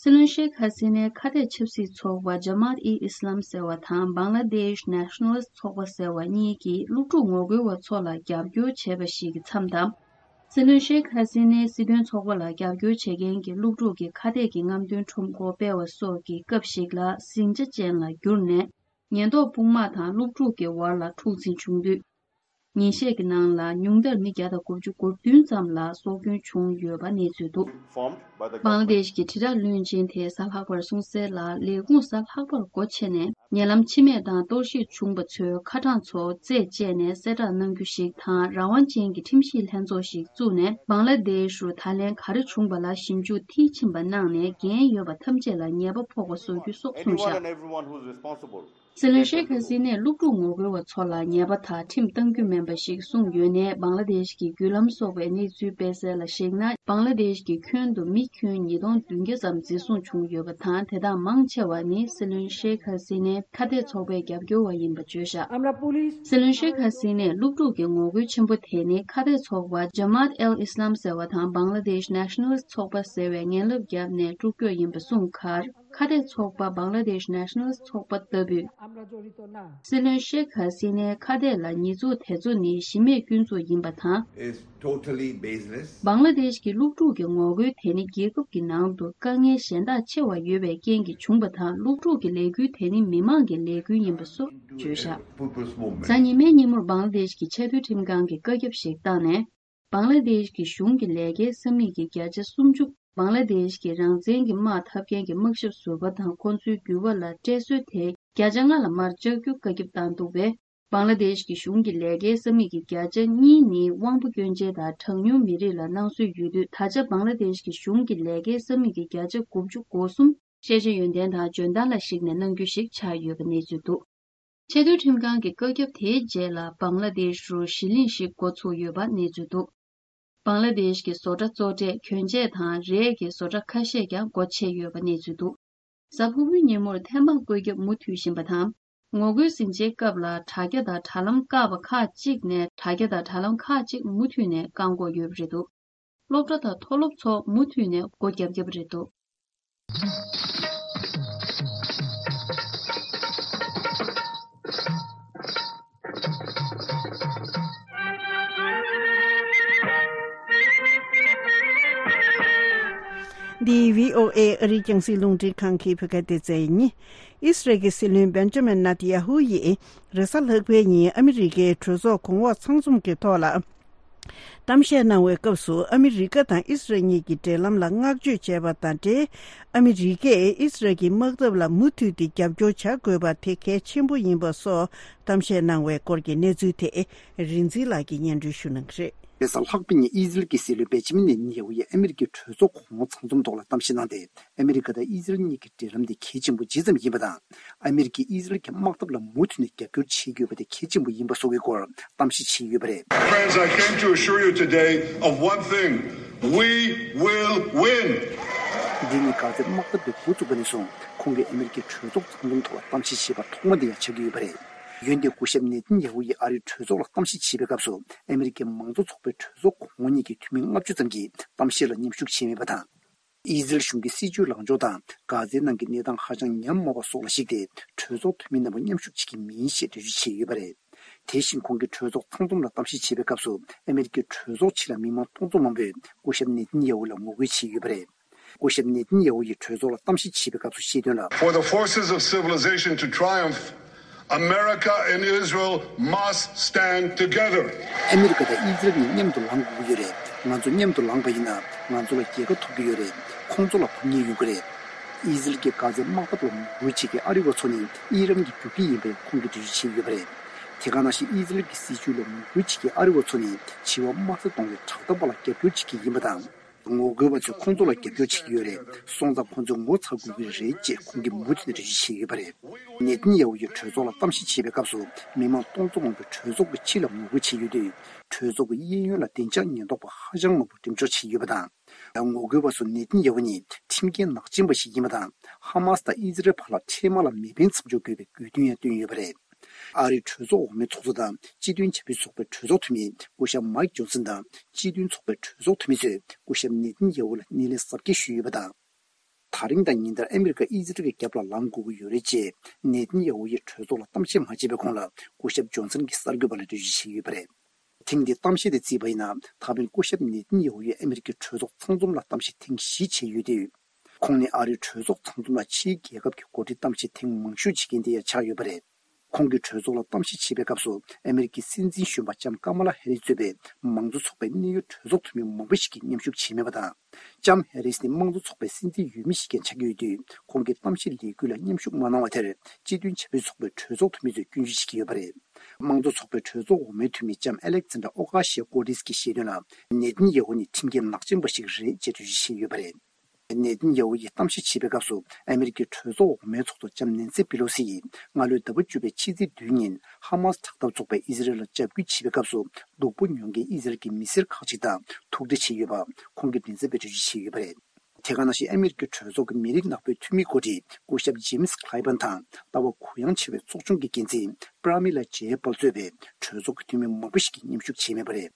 སྲིད་བློན་ཤེག་ཧ་སི་ནའི་ཁ་གཏད་ཆབ་སྲིད་ཚོགས་པ་ཇ་མཱཏ་ཨི་ཨིས་ལམ་ཟེར་བ་དང་བང་ལ་དེཤ་ནེ་ཤ་ནལ་ཚོགས་པ་ཟེར་བ་གཉིས་ཀྱིས་སློབ་ཕྲུག་ངོ་རྒོལ་བ་ཚོ་ལ་རྒྱབ་སྐྱོར་བྱས་པ་ཞིག་གི་མཚམས་དང་། སྲིད་བློན་ཤེག་ཧ་སི་ནའི་སྲིད་དོན་ཚོགས་པ་ལ་རྒྱབ་སྐྱོར་བྱེད་མཁན་གྱི་སློབ་ཕྲུག་གི་ཁ་གཏད་ཀྱི་རྔམ་སྟོན་ཁྲོམ་སྐོར་སྤེལ་བ་སོགས་ཀྱི་སྐབས་ཤིག་ལ་ཟིང་ཆ་ཅན་ལ་གྱུར་ནས། ཉེན་རྟོག་དཔུང་དམག་དང་སློབ་ཕྲུག་གི་བར་ལ་འཁྲུག་འཛིང་བྱུང་དུས། ཉིན་ཤས་ཀྱི་ནང་ལ་ཉུང་མཐར་མི་བརྒྱ་དང་དགུ་བཅུ་གོ་བདུན་ཙམ་ལ་སྲོག་སྐྱོན་བྱུང་ཡོད་པ་གནས་ཚུལ་འདུག་བང་ལ་དེཤ་གི་དྲིལ་བསྒྲགས་བློན་ཆེན་དེས་གཟའ་ལྷག་པར་གསུངས་གསལ་ལ། ལས་ཁུངས་གཟའ་ལྷག་པར་སྒོ་ཕྱེ་ནས་ཉེ་ལམ་འཆི་རྨས་དང་གཏོར་བཤིག་བྱུང་པ་ཚོའི་ཁ་གྲངས་ཚོ་རྩད་བཅད་ནས་གསལ་བསྒྲགས་གནང་རྒྱུ་ཞིག་དང་། རང་དབང་ཅན་གྱི་ཁྲིམས་ཞིབ་ལྷན་ཚོགས་ཤིག་བཙུགས་ནས་བང་ལ་དེཤ་རུ་ད་ལན་ག་རེ་བྱུང་པ་ལ་ཞིབ་འཇུག་མཐིལ་ཕྱིན་པ་གནང་ནས་འགན་ཡོད་པ་ཐམས་ཅད་ལ་ཉེས་པ་ཕོག་པ་བཟོ་རྒྱུ་སོགས་གསུངས་བཞག་སྲིད་བློན་ཤེག་ཧ་སི་ནས་སློབ་ཕྲུག་ངོ་རྒོལ་བ་ཚོ་ལ་ཉེས་པ་དང་ཁྲིམས་གཏང་རྒྱུ་མིན་པ་ཞིག་གསུངས་ཡོད་ནའི། བང་ལ་དེཤ་གི་བརྒྱུད་ལམ་སོགས་པའི་གནས་ཚུལ་སྤེལ་གསལ་ལ་གཞིགས་ན། བང་ལ་དེཤ་གི་ཁྱོན་དུ་མི་ཁྱོན་ཉིས་སྟོང་བདུན་བརྒྱ་ཙམ་འཛིན་བཟུང་བྱུང་ཡོད་པ་དང་། དེ་དག་མང་ཆེ་བ་ནི་སྲིད་བློན་ཤེག་ཧ་སི་ནའི་ཁ་གཏད་ཚོགས་པའི་རྒྱབ་སྐྱོར་བ་ཡིན་པ་བརྗོད་བཞག་སྲིད་བློན་ཤེག་ཧ་སི་ནས་སློབ་ཕྲུག་གི་ངོ་རྒོལ་ཆེན་པོ་དེ་ནི་ཁ་གཏད་ཚོགས་པ་ཇ་མཱཏ་ཨལ་ཨིས་ལམ་ཟེར་བ་དང་བང་ལ་དེཤ་ནེ་ཤ་ནལ་ཚོགས་པ་ཟེར་བའི་ངན་ལབ་བརྒྱབ་ནས་དཀྲུག་རྒྱུ་ཡིན་པ་གསུངས་ཁར། ཁ་གཏད་ཚོགས་པ་བང་ལ་དེཤ་ནེ་ཤ་ནལ་ཚོགས་པ་ལྟ་བུས། སྲིད་བློན་ཤེག་ཧ་སི་ནའི་ཁ་གཏད་ལ་ཉེས་འཛུགས་དེ་ཚོ་ནི་གཞི་མེད་སྐྱོན་འཛུགས་ཡིན་པ་དང་། Is totally baseless. བང་ལ་དེཤ་གི་སློབ་ཕྲུག་གི་ངོ་རྒོལ་དེ་ནི་རྒྱལ་ཁབ་ཀྱི་ནང་དུ་དཀའ་ངལ་གཞན་དག་ཆེ་བ་ཡོད་པའི་རྐྱེན་གྱིས་བྱུང་བ་དང་། སློབ་ཕྲུག་གི་ལས་འགུལ་དེ་ནི་མི་མང་གི་ལས་འགུལ་ཡིན་པ་སོགས་བརྗོད་བཞག་གཟའ་ཉི་མའི་ཉིན་མོར་བང་ལ་དེཤ་གི་ཆེས་མཐོའི་ཁྲིམས་ཁང་གིས་བཀའ་ཁྱབ་ཞིག་བཏང་ནས། བང་ལ་དེཤ་གི་གཞུང་གི་ལས་ཀའི་ས་མིག་གི་བརྒྱ་ཆ་སུམ་ཅུ། བང་ལ་དེཤ་གི་རང་བཙན་གྱི་དམག་འཐབ་མཁན་གྱི་དམག་ཞབས་ཟུར་པ་དང་ཁོང་ཚོའི་འགྱུར་བ་ལ་སྤྲད་སྲོལ་དེ་བརྒྱ་ཆ་ལྔ་ལ་མར་བཅག་རྒྱུ་བཀའ་ཁྱབ་བཏང་འདུག་པས། བང་ལ་དེཤ་གི་གཞུང་གི་ལས་ཀའི་ས་མིག་གི་བརྒྱ་ཆ་གཉིས་ནི་དབང་པོ་སྐྱོན་ཅན་དང་གྲངས་ཉུང་མི་རིགས་ལ་གནང་སྲོལ་ཡོད་དུས། ད་ཆ་བང་ལ་དེཤ་གི་གཞུང་གི་ལས་ཀའི་ས་མིག་གི་བརྒྱ་ཆ་དགུ་བཅུ་གོ་གསུམ་ཤེས་བྱ་ཡོན་ཏན་དང་འཇོན་ཐང་ལ་གཞིགས་ནས་གནང་རྒྱུ་ཞིག་ཆགས་ཡོད་པ་གནས་ཚུལ་འདུག་ཆེས་མཐོའི་ཁྲིམས་ཁང་གི་བཀའ་ཁྱབ་དེའི་རྗེས་ལ་བང་ལ་དེཤ་རུ་གཞིས་གླིང་ཞིག་འགོ་ཚུགས་ཡོད་པ་གནས་ཚུལ་འདུག་བང་ལ་དེཤ་གི་བཟོ་གྲྭ་གཙོ་གྲས་གྱོན་ཆས་དང་རས་ཀྱི་བཟོ་གྲྭ་ཁ་ཤས་ཀྱང་སྒོ་ཕྱེ་ཡོད་པ་གནས་ཚུལ་འདུག་གཟའ་ཕུར་བུའི་ཉིན་མོར་ཐེམ་སྤང་བཀོད་ཁྱབ་མུ་མཐུད་བཞིན་པ་དང་། ངོ་རྒོལ་ཟིང་ཆའི་སྐབས་ལ་དྲ་རྒྱ་དང་དྲ་ལམ་བཀག་པ་ཁག་ཅིག་ནས་དྲ་རྒྱ་དང་དྲ་ལམ་ཁག་ཅིག་མུ་མཐུད་ནས་བཀག་འགོག་ཡོད་པ་རེད་འདུག་སློབ་གྲྭ་དང་མཐོ་སློབ་ཚོ་མུ་མཐུད་ནས་སྒོ་བརྒྱབ་བརྒྱབ་རེད་འདུག་འདི་བྷི་ཨོ་ཨེ་ཨ་རིའི་རྒྱང་སྲིང་རླུང་འཕྲིན་ཁང་གི་བོད་སྐད་སྡེ་ཚན་ཡིན། ཨིས་རལ་གྱི་སྲིད་བློན་བེན་ཇ་མིན་ནེ་ཐན་ཡ་ཧུ་ཡིས་རེས་གཟའ་ལྷག་པའི་ཉིན་ཨ་མི་རི་ཀའི་གྲོས་ཚོགས་གོང་འོག་ཚང་འཛོམས་ཀྱི་ཐོག་ལ། གཏམ་བཤད་གནང་བའི་སྐབས་སུ། ཨ་མི་རི་ཀ་དང་ཨི་སི་རལ་གཉིས་ཀྱི་འབྲེལ་ལམ་ལ་བསྔགས་བརྗོད་བྱས་པ་དང་འབྲེལ། ཨ་མི་རི་ཀས་ཨི་སི་རལ་གྱི་དམག་འཐབ་ལ་མུ་མཐུད་དེ་རྒྱབ་སྐྱོར་བྱ་དགོས་པ་དེ་གལ་ཆེན་པོ་ཡིན་པ་སོགས་གཏམ་བཤད་གནང་བའི་སྐོར་གྱི་གནས་ཚུལ་དེ་རིག་འཛིན་ལགས་ཀྱིས་སྙན་སྒྲོན་ཞུ་གནང་གི་རེད། རེས་གཟའ་ལྷག་པའི་ཉིན་ཨི་སི་རལ་གྱི་སྲིད་བློན་བེན་ཇ་མིན་ནེ་ཐན་ཡ་ཧུ་ཡིས་ཨ་མི་རི་ཀའི་གྲོས་ཚོགས་གོང་འོག་ཚང་འཛོམས་ཐོག་ལ་གཏམ་བཤད་གནང་སྟེ། ཨ་མི་རི་ཀ་དང་ཨི་སི་རལ་གཉིས་ཀྱི་འབྲེལ་ལམ་དེ་གལ་ཆེན་པོ་ཇི་ཙམ་ཡིན་པ་དང་། ཨ་མི་རི་ཀས་ཨི་སི་རལ་གྱི་དམག་འཐབ་ལ་མུ་མཐུད་ནས་རྒྱབ་སྐྱོར་བྱེད་དགོས་པ་དེ་གལ་ཆེན་པོ་ཡིན་པ་སོགས་ཀྱི་སྐོར་གཏམ་བཤད་བྱས་ཡོད་པ་རེད། Friends, I came to assure you today of one thing. We will win. འདི་ནི་ག་ཚོད་དམག་འཐབ་དེ་འགོ་བཙུགས་པ་ནས་བཟུང་ཁོང་གིས་ཨ་མི་རི་ཀའི་གྲོས་ཚོགས་ཚང་འཛོམས་ཐོག་ལ་གཏམ་བཤད་བྱས་པ་ཐོག་མ་དེ་ཡང་ཆགས་ཀྱི་ཡོད་པ་རེད། འོན་ཏེ་སྐུ་ཞབས་ནེ་ཐན་ཡ་ཧུ་ཡིས་ཨ་རིའི་གྲོས་ཚོགས་ལ་གཏམ་བཤད་བྱེད་པའི་སྐབས་སུ་ཨ་མི་རི་ཀའི་མང་གཙོ་ཚོགས་པའི་གྲོས་ཚོགས་གོང་འོག་གཉིས་ཀྱི་འཐུས་མི་ལྔ་བཅུ་ཙམ་གྱིས་གཏམ་བཤད་ལ་མཉམ་ཞུགས་བྱས་མེད་པ་དང་། ཨི་ཟི་རལ་གཞུང་གི་སྲིད་བྱུས་ལངས་ཕྱོགས་དང་གྷ་ཛའི་ནང་གི་གནས་སྟངས་ཧ་ཅང་ཉམས་དམའ་བ་སོགས་ལ་གཞིགས་ཏེ་གྲོས་ཚོགས་འཐུས་མི་རྣམས་མཉམ་ཞུགས་བྱེད་ཀྱི་མིན་ཞེས་འགྲེལ་བརྗོད་བྱས་ཡོད་པ་རེད། དེ་བཞིན་ཁོང་གིས་གྲོས་ཚོགས་ཚང་འཛོམས་ལ་གཏམ་བཤད་བྱེད་པའི་སྐབས་སུ་ཨ་མི་རི་ཀའི་གྲོས་ཚོགས་ཕྱི་ལ་མི་མང་སྟོང་ཚོ་མང་པོས་སྐུ་ཞབས་ནེ་ཐན་ཡ་ཧུ་ལ་ངོ་རྒོལ་བྱས་ཡོད་པ་རེད། སྐུ་ཞབས་ནེ་ཐན་ཡ་ཧུ་ཡིས་གྲོས་ཚོགས་ལ་གཏམ་བཤད་བྱེད་པའི་སྐབས་སུ་བཤད་དོན་ལ། For the forces of civilization to triumph, America and Israel must stand together. ཨ་མི་རི་ཀ་དང་ཨི་ཟི་རལ་གཉིས་མཉམ་དུ་ལངས་དགོས་ཀྱི་ཡོད་རེད། ང་ཚོ་མཉམ་དུ་ལངས་པ་ཡིན་ན་ང་ཚོ་ལ་རྒྱལ་ཁ་ཐོབ་ཀྱི་ཡོད་རེད། ཁོང་ཚོ་ལ་ཕམ་ཉེས་ཡོང་གི་རེད། ཨི་ཟི་རལ་གྱིས་གྷ་ཛའི་དམག་འཐབ་ལ་ངོ་རྒོལ་བྱེད་མཁན་ཨ་རི་བ་ཚོ་ནི་ཨི་རན་གྱི་རྒྱུག་ཁྱི་ཡིན་པའི་ཁོང་གིས་འགྲེལ་བརྗོད་བྱས་ཡོད་པ་རེད། དེ་ག་ནང་བཞིན་ཨི་ཟི་རལ་གྱི་སྲིད་བྱུས་ལ་ངོ་རྒོལ་བྱེད་མཁན་ཨ་རི་བ་ཚོ་ནི་འཆི་བ་དམའ་ས་གཏོང་བའི་དྲག་འཐབ་པ་ལ་རྒྱབ་སྐྱོར་བྱེད་ཀྱི་ཡིན་པ་དང་། ངོ་རྒོལ་བ་ཚོས་ཁོང་ཚོ་ལ་རྒྱབ་སྐྱོར་བྱེད་ཀྱི་ཡོད་རེད། སོང་ཙང་ཁོང་ཚོས་ངོ་ཚ་དགོས་ཀྱི་རེད་ཅེས་ཁོང་གིས་མུ་མཐུད་ནས་འགྲེལ་བརྗོད་བྱས་ཡོད་པ་རེད། ནེ་ཐན་ཡ་ཧུ་ཡིས་གྲོས་ཚོགས་ལ་གཏམ་བཤད་བྱེད་པའི་སྐབས་སུ་མི་མང་སྟོང་ཚོ་མང་པོས་གྲོས་ཚོགས་ཀྱི་ཕྱི་ལ་ངོ་རྒོལ་བྱས་ཡོད་དུས། གྲོས་ཚོགས་ཀྱི་གཡས་གཡོན་ལ་བདེ་འཇགས་ཉེན་རྟོག་པ་ཧ་ཅང་མང་པོ་འགྲེམས་འཇོག་བྱས་ཡོད་པ་དང་། ཡང་ངོ་རྒོལ་བ་ཚོ་ནེ་ཐན་ཡ་ཧུ་ནི་ཁྲིམས་འགལ་ནག་ཅན་པ་ཞིག་ཡིན་པ་དང་། ཧ་མ་སི་དང་ཨི་ཟི་རལ་བར་ལ་འཕྲལ་མ་ལ་མེ་འཕེན་མཚམས་འཇོག་དགོས་པའི་དགོས་འདུན་ཡང་བཏོན་ཡོད་པ་རེད། ཨ་རིའི་གྲོས་ཚོགས་འོག་མའི་ཚོགས་གཙོ་དང་སྤྱི་མཐུན་བྱ་འཕུར་ཚོགས་པའི་གྲོས་ཚོགས་འཐུས་མི་སྐུ་ཞབས་མའིག་ཇོན་སན་དང་སྤྱི་མཐུན་ཚོགས་པའི་གྲོས་ཚོགས་འཐུས་མི་ཚོས་སྐུ་ཞབས་ནེ་ཐན་ཡ་ཧུ་ལ་སྣེ་ལེན་གཟབ་རྒྱས་ཞུས་ཡོད་པ་དང་། ད་རིང་དང་ཉིན་ལྟར་ཨ་མི་རི་ཀ་ཨི་ཟི་རལ་གྱི་རྒྱབ་ལ་ལངས་དགོས་ཀྱི་ཡོད་རེད་ཅེས་ནེ་ཐན་ཡ་ཧུ་ཡིས་གྲོས་ཚོགས་ལ་གཏམ་བཤད་མ་བྱས་པའི་གོང་ལ་སྐུ་ཞབས་ཇོན་སན་གྱིས་གསར་འགོད་པ་ལ་འགྲེལ་བརྗོད་བྱས་ཡོད་པ་རེད། ཐེངས་འདིའི་གཏམ་བཤད་དེ་བརྩིས་པ་ཡིན་ན། ད་ཕན་སྐུ་ཞབས་ནེ་ཐན་ཡ་ཧུ་ཡིས་ཨ་མི་རི་ཀའི་གྲོས་ཚོགས་ཚང་འཛོམས་ལ་གཏམ་བཤད་ཐེངས་བཞི་བྱས་ཡོད་དུས། ཁོང་ནི་ཨ་རིའི་གྲོས་ཚོགས་ཚང་འཛོམས་ལ་ཕྱིའི་རྒྱལ་ཁབ་ཀྱི་འགོ་ཁྲིད་གཏམ་བཤད་ཐེངས་མང་ཤོས་བྱེད་མཁན་དེ་ཡང་ཆགས་ཡོད་པ་རེད། ཁོང་གིས་གྲོས་ཚོགས་ལ་གཏམ་བཤད་བྱེད་པའི་སྐབས་སུ་ཨ་མི་རི་ཀའི་སྲིད་འཛིན་གཞོན་པ་ལྕམ་ཀ་མ་ལ་ཧེ་རིས་གཙོས་པའི་མང་གཙོ་ཚོགས་པའི་གནད་ཡོད་གྲོས་ཚོགས་འཐུས་མི་མང་པོ་ཞིག་གིས་མཉམ་ཞུགས་བྱས་མེད་པ་དང་། ལྕམ་ཧེ་རིས་ནི་དམངས་གཙོ་ཚོགས་པའི་སྲིད་འཛིན་འོས་མི་ཞིག་ཀྱང་ཆགས་ཀྱི་ཡོད་དུས། ཁོང་གིས་གཏམ་བཤད་ལས་འགུལ་ལ་མཉམ་ཞུགས་མ་གནང་བ་དེར་སྤྱི་མཐུན་བྱ་བའི་ཚོགས་པའི་གྲོས་ཚོགས་འཐུས་མི་ཚོས་སྐྱོན་བརྗོད་བྱེད་ཀྱི་ཡོད་པ་རེད། དམངས་གཙོ་ཚོགས་པའི་གྲོས་ཚོགས་འོག་མའི་འཐུས་མི་ལྕམ་ཨ་ལེག་ཛན་ཌར་ཨོ་ཀ་ཤི་ཡ་ཀོ་ཏིས་ཀྱིས་བཤད་དོན་ལ། ནེ་ཐན་ཡ་ཧུ་ནི་ཁྲིམས་འགལ་ནག་ཅན་པ་ཞིག་རེད་ཅེས་འགྲེལ་བརྗོད་བྱས་ཡོད་པ་རེད། ནེ་ཐན་ཡ་ཧུ་ཡིས་གཏམ་བཤད་བྱེད་པའི་སྐབས་སུ་ཨ་མི་རི་ཀའི་གྲོས་ཚོགས་འོག་མའི་ཚོགས་གཙོ་ལྕམ་ནན་སི་པི་ལོ་སི་ཡིས་སྔ་ལོའི་ཟླ་བ་བཅུ་པའི་ཕྱི་ཚེས་བདུན་ཉིན་ཧ་མ་སི་དྲག་འཐབ་ཚོགས་པས་ཨི་ཟི་རལ་ལ་འཇབ་རྒོལ་བྱེད་པའི་སྐབས་སུ་སྡུག་པོ་མྱོང་མཁན་ཨི་ཟི་རལ་གྱི་མི་སེར་ཁག་ཅིག་དང་ཐུག་འཕྲད་བྱས་ཡོད་པ་ཁོང་གིས་མགྲིན་ཚབ་པར་འགྲེལ་བརྗོད་བྱས་ཡོད་པ་རེད། དེ་ག་ནང་བཞིན་ཨ་མི་རི་ཀའི་གྲོས་ཚོགས་ཀྱི་མི་རིགས་ནག་པོའི་འཐུས་མི་འགོ་ཁྲིད་སྐུ་ཞབས་ཇེམ་སི་ཁི་ལའི་བྷན་དང་ལྟ་བ་གུ་ཡངས་ཆེ་བའི་ཚོགས་ཆུང་གི་འགན་འཛིན་པྲ་མི་ལ་ཇེ་པལ་གཙོས་པའི་གྲོས་ཚོགས་ཀྱི་འཐུས་མི་མང་པོ་ཞིག་གིས་མཉམ་ཞུགས་བྱས་མེད་པ་རེད།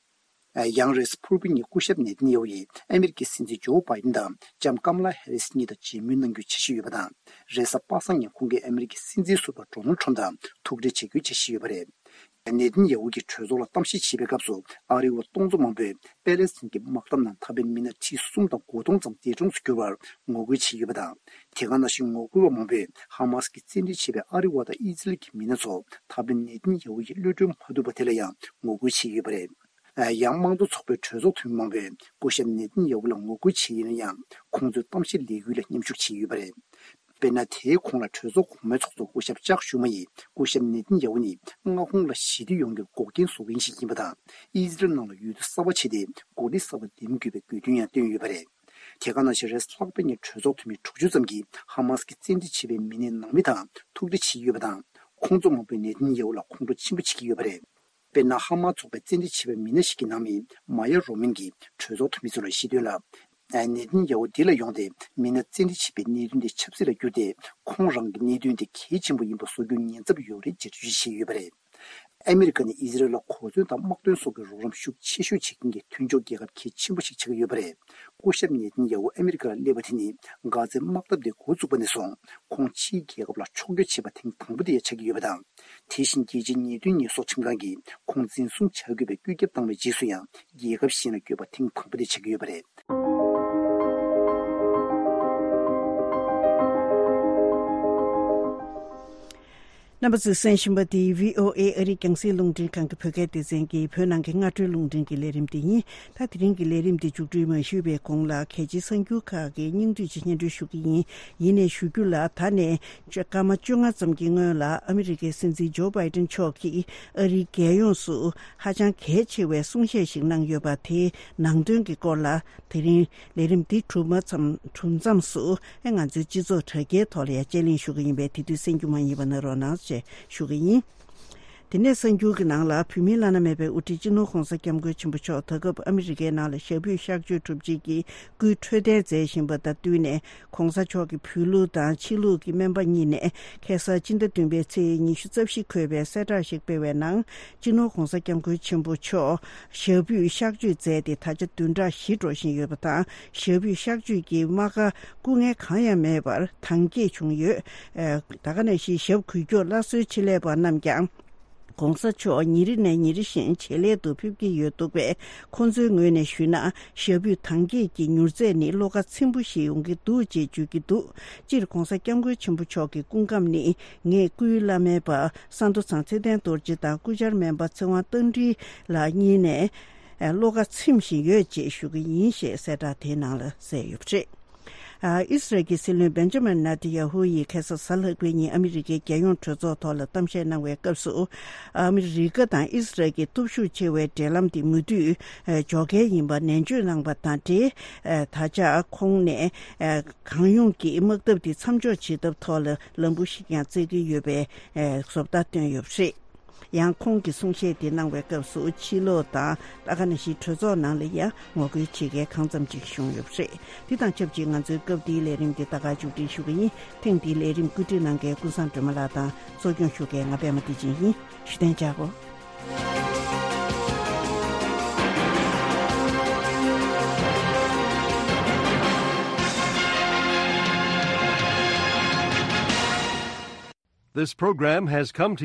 ཡང་རེས་ཕུར་བུ་ཉིན་སྐུ་ཞབས་ནེ་ཐན་ཡ་ཧུ་ཡིས་ཨ་མི་རི་ཀའི་སྲིད་འཛིན་ཇོ་བྷའི་ཏིན་དང་ལྕམ་ཀམ་ལ་ཧེ་རིས་གཉིས་དང་མཇལ་མོལ་གནང་རྒྱུའི་འཆར་གཞི་ཡོད་པ་དང་། རེས་གཟའ་པ་སངས་ཉིན་ཁོང་གིས་ཨ་མི་རི་ཀའི་སྲིད་འཛིན་ཟུར་པ་ཌོ་ནལ་ཁྲམ་དང་ཐུག་འཕྲད་བྱེད་རྒྱུའི་འཆར་གཞི་ཡོད་པ་རེད། ནེ་ཐན་ཡ་ཧུ་གིས་གྲོས་ཚོགས་ལ་གཏམ་བཤད་བྱེད་པའི་སྐབས་སུ་ཨ་རི་བ་སྟོང་ཚོ་མང་པོས་པེ་ལེ་སི་ཐན་གྱི་དམག་འཐབ་ནང་ཐར་པའི་མི་སྣ་ཁྲི་གསུམ་དང་དགུ་སྟོང་ཙམ་འདས་གྲོངས་སུ་གྱུར་བར་ངོ་རྒོལ་བྱས་ཡོད་པ་དང་། དེ་ག་ནང་བཞིན་ངོ་རྒོལ་བ་མང་པོས་ཧ་མ་སི་གིས་བཙན་ཁྲིད་བྱས་པའི་ཨ་རི་བ་དང་ཨི་ཛི་རལ་གྱི་མི་སྣ་ཚོ་ཐར་པའི་ནེ་ཐན་ཡ་ཧུ་ཡིས་གློད་གྲོལ་མ་ཐུབ་པ་དེ་ལ་ཡང་ངོ་རྒོལ་བྱས་ཡོད་པ་རེད། ཡང་དམངས་གཙོ་ཚོགས་པའི་གྲོས་ཚོགས་འཐུས་མི་མང་པོས་སྐུ་ཞབས་ནེ་ཐན་ཡ་ཧུ་ལ་ངོ་རྒོལ་བྱས་ཡིན་ན་ཡང་། ཁོང་ཚོའི་གཏམ་བཤད་ལས་འགུལ་ལ་མཉམ་ཞུགས་བྱས་ཡོད་པ་རེད། དཔེར་ན། དེའི་གོང་ལ་གྲོས་ཚོགས་གོང་མའི་ཚོགས་གཙོ་སྐུ་ཞབས་ཅག་ཞུ་མ་ཡིས་སྐུ་ཞབས་ནེ་ཐན་ཡ་ཧུ་ནི་མངའ་ཁོངས་ལ་ཞི་བདེ་ཡོང་རྒྱུར་འགོག་རྐྱེན་བཟོ་མཁན་ཞིག་ཡིན་པ་དང་། ཨི་ཟི་རལ་ནང་ལ་འོས་བསྡུ་གསར་པ་བྱས་ཏེ་འགོ་ཁྲིད་གསར་པ་འདེམས་དགོས་པའི་དགོས་འདུན་ཡང་བཏོན་ཡོད་པ་རེད། དེ་ག་ནང་བཞིན་རེས་ལྷག་པའི་ཉིན་གྲོས་ཚོགས་འཐུས་མི་དྲུག་ཅུ་ཙམ་གྱིས་ཧ་མ་སི་གིས་བཙན་ཁྲིད་བྱས་པའི་མི་སྣའི་ནང་མི་དང་ཐུག་འཕྲད་བྱས་ཡོད་པ་དང་། ཁོང་ཚོ་མང་པོས་ནེ་ཐན་ཡ་ཧུ་ལ་ཁོང་ཁྲོ་ཆེན་པོ་བྱེད་ཀྱི་ཡོད་པ་རེད། དཔེར་ན། ཧ་མ་ཚོགས་པའི་བཙན་ཁྲིད་བྱས་པའི་མི་སྣ་ཞིག་གི་ནང་མི་མ་ཡ་རོ་མན་གྱིས་གྲོས་ཚོགས་འཐུས་མི་ཚོ་ལ་བཤད་དོན་ལ། ཨ། ནེ་ཐན་ཡ་ཧུ་འདི་ལ་ཡོང་སྟེ་མི་སྣ་བཙན་ཁྲིད་བྱས་པའི་གནད་དོན་དེ་ཆབ་སྲིད་ལ་བསྒྱུར་ཏེ། ཁོང་རང་གི་གནད་དོན་དེ་གལ་ཆེན་པོ་ཡིན་པ་བཟོ་རྒྱུའི་ཉེན་ཚབས་ཡོད་རེད་ཅེས་འགྲེལ་བརྗོད་བྱས་ཡོད་པ་རེད། ཨ་མི་རི་ཀ་ནི་ཨི་ཟི་རལ་ལ་གོ་མཚོན་དང་དམག་དོན་སོགས་ཀྱི་རོགས་རམ་ཤུགས་ཆེ་ཤོས་བྱེད་མཁན་གྱི་མཐུན་ཕྱོགས་རྒྱལ་ཁབ་གལ་ཆེན་པོ་ཞིག་ཆགས་ཀྱི་ཡོད་པ་རེད། སྐུ་ཞབས་ནེ་ཐན་ཡ་ཧུ་ཨ་མི་རི་ཀར་སླེབས་པ་དེ་ནི་གྷ་ཛའི་དམག་འཐབ་དེ་འགོ་བཙུགས་པ་ནས་བཟུང་ཁོང་ཕྱིའི་རྒྱལ་ཁབ་ལ་ཕྱོགས་བསྐྱོད་བྱས་པ་ཐེངས་དང་པོ་དེ་ཡང་ཆགས་ཀྱི་ཡོད་པ་དང་། དེ་བཞིན་རྒྱལ་སྤྱིའི་ཉེས་དོན་ཉེས་གསོག་ཁྲིམས་ཁང་གིས་ཁོང་འཛིན་བཟུང་བྱ་དགོས་པའི་བཀོད་ཁྱབ་བཏང་བའི་རྗེས་སུ་ཡང་རྒྱལ་ཁབ་གཞན་ལ་བསྐྱོད་པ་ཐེངས་དང་པོ་དེ་ཆགས་ཀྱི་ཡོད་པ་རེད། རྣམ་པ་ཚོས་གསན་བཞིན་པ་འདི་བྷི་ཨོ་ཨེ་ཨ་རིའི་རྒྱང་སྲིང་རླུང་འཕྲིན་ཁང་གི་བོད་སྐད་སྡེ་ཚན་གྱི་བོད་ནང་གི་སྔ་དྲོའི་རླུང་འཕྲིན་གྱི་ལས་རིམ་དེ་ཡིན། ད་དེ་རིང་གི་ལས་རིམ་འདི་མཇུག་སྒྲིལ་མ་ཞུས་པའི་གོང་ལ་གལ་ཆེའི་གསར་འགྱུར་ཁག་གི་སྙིང་བསྡུས་ཅིག་སྙན་སྒྲོན་ཞུ་གི་ཡིན། ཡིན་ནའི་ཞུ་རྒྱུ་ལ། ད་ནས་སྐར་མ་བཅོ་ལྔ་ཙམ་གྱི་སྔོན་ལ་ཨ་མི་རི་ཀའི་སྲིད་འཛིན་ཇོ་བྷའི་ཏིན་མཆོག་གིས་ཨ་རིའི་རྒྱལ་ཡོངས་སུ་ཧ་ཅང་གལ་ཆེ་བའི་གསུང་བཤད་ཞིག་གནང་ཡོད་པ་དེའི་ནང་དོན་གྱི་སྐོར་ལ། དེ་རིང་ལས་རིམ་འདི་གྲུབ་མ་ཙམ། གྲུབ་མཚམས་སུ་ཨེ་ང་ཚོའི་སྤྱི་ཚོགས་དྲ་རྒྱའི་ཐོག་ལ་ཡང་དཔྱད་གླེང་ཞུ་གི་ཡིན་པས། དེ་དུས་གསན་རྒྱུ་མ་ཡིན་པ་གནང་རོགས་གནང་ཞེས་ཞུ་གི་ཡིན། དེ་ནས་གསར་འགྱུར་གྱི་ནང་ལ། བོད་མིའི་བླ་ན་མེད་པའི་དབུ་ཁྲིད་སྤྱི་ནོར་༧གོང་ས་༧སྐྱབས་མགོན་ཆེན་པོ་མཆོག་ད་སྐབས་ཨ་མི་རི་ཀའི་ནང་ལ་ཞབས་པུས་གཤགས་བཅོས་གྲུབ་རྗེས་ཀྱི་སྐུའི་འཕྲོད་བསྟེན་མཛད་བཞིན་པ་དང་བསྟུན་ནས། ༧གོང་ས་མཆོག་གི་བོད་ལུགས་དང་ཕྱི་ལུགས་ཀྱི་སྨན་པ་གཉིས་ནས་ཁ་སང་སྤྱི་ཟླ་བདུན་པའི་ཚེས་ཉི་ཤུ་རྩ་བཞི་འཁོད་པའི་གསལ་བསྒྲགས་ཤིག་སྤེལ་བའི་ནང་། སྤྱི་ནོར་༧གོང་ས་༧སྐྱབས་མགོན་ཆེན་པོ་མཆོག་ཞབས་པུས་གཤགས་བཅོས་མཛད་དེ་ད་ཆ་བདུན་ཕྲག་བཞི་འགྲོ་བཞིན་ཡོད་པ་དང་། ཞབས་པུས་གཤགས་བཅོས་ཀྱི་རྨ་ཁ་སྐུ་ངལ་གང་ཡང་མེད་པར་དྭངས་སྐྱེད་བྱུང་ཡོད། ཨ། ད་ག་ནང་བཞིན་ཞབས་འགུལ་སྐྱོར་སླར་གསོའི་ཆེད་ལས་པ་རྣམས་ཀྱང་༧གོང་ས་མཆོག་ཉིན་རེ་ནས་ཉིན་རེ་བཞིན་ཇེ་ལེགས་དུ་ཕེབས་ཀྱི་ཡོད་འདུག་པས། ཁོང་ཚོའི་ངོས་ནས་ཞུས་ན། ཞབས་པུས་དྭངས་སྐྱེད་ཀྱི་མྱུར་ཚད་ནི་བློ་ཁ་ཚིམ་པོ་ཞིག་ཡོང་གི་འདུག་ཅེས་བརྗོད་ཀྱི་འདུག་སྤྱིར་༧གོང་ས་༧སྐྱབས་མགོན་ཆེན་པོ་མཆོག་གི་སྐུ་ཁམས་ནི། ངས་སྐུའི་བླ་སྨན་པ་ས་མདོ་ཚང་ཚེ་བརྟན་རྡོ་རྗེ་དང་སྐུ་བཅར་སྨན་པ་ཚེ་དབང་རྟ་མགྲིན་ལགས་གཉིས་ནས་བློ་ཁ་ཚིམ་བཞིན་ཡོད་ཅེས་ཞུ་གི་ཡིན་ཞེས་གསལ་བསྒྲགས་དེའི་ནང་ལ་གསལ་ཡོད་པ་རེད། ཨ། ཨི་སི་རལ་གྱི་སྲིད་བློན་བེན་ཇ་མིན་ནེ་ཐན་ཡ་ཧུ་ཡིས་ཁ་སང་གཟའ་ལྷག་པའི་ཉིན་ཨ་མི་རི་ཀའི་རྒྱལ་ཡོངས་གྲོས་ཚོགས་ཐོག་ལ་གཏམ་བཤད་གནང་བའི་སྐབས་སུ། ཨ་མི་རི་ཀ་དང་ཨི་སི་རལ་གྱི་སྟོབས་ཤུགས་ཆེ་བའི་འབྲེལ་ལམ་དེ་མུ་མཐུད་འཇོག་གལ་ཡིན་པ་ནན་བརྗོད་གནང་བ་དང་འབྲེལ། ད་ཆ་ཁོང་ནས་གང་ཡོང་གིས་དམག་འཐབ་དེ་མཚམས་འཇོག་བྱེད་ཐབས་ཐོག་ལ་ལམ་བུ་ཞིག་ཀྱང་བཙལ་གྱི་ཡོད་པའི་བཟོ་ལྟ་བཏོན་ཡོད་པ་རེད། ཡང་ཁོང་གིས་གསུང་བཤད་དེ་གནང་བའི་སྐབས་སུ། ཕྱི་ལོགས་དང་ད་ག་ནང་བཞིན་གྲོས་ཚོགས་ནང་ལ་ཡང་ངོ་རྒོལ་བྱེད་མཁན་གང་ཙམ་ཅིག་བྱུང་ཡོད་པ་རེད། འདི་དང་ཆབས་ཅིག་ང་ཚོའི་སྐབས་འདིའི་ལས་རིམ་འདི་ད་ག་མཇུག་སྒྲིལ་ཞུ་གི་ཡིན། ཐེངས་འདིའི་ལས་རིམ་བཀོད་སྒྲིག་གནང་མཁན་ཀུན་བཟང་སྒྲོལ་མ་ལགས་དང་གཙོ་སྐྱོང་ཞུ་མཁན་ང་པད་མ་བདེ་ཆེན་ཡིན། བཞུགས་གདན་འཇགས་དགོས། This program has come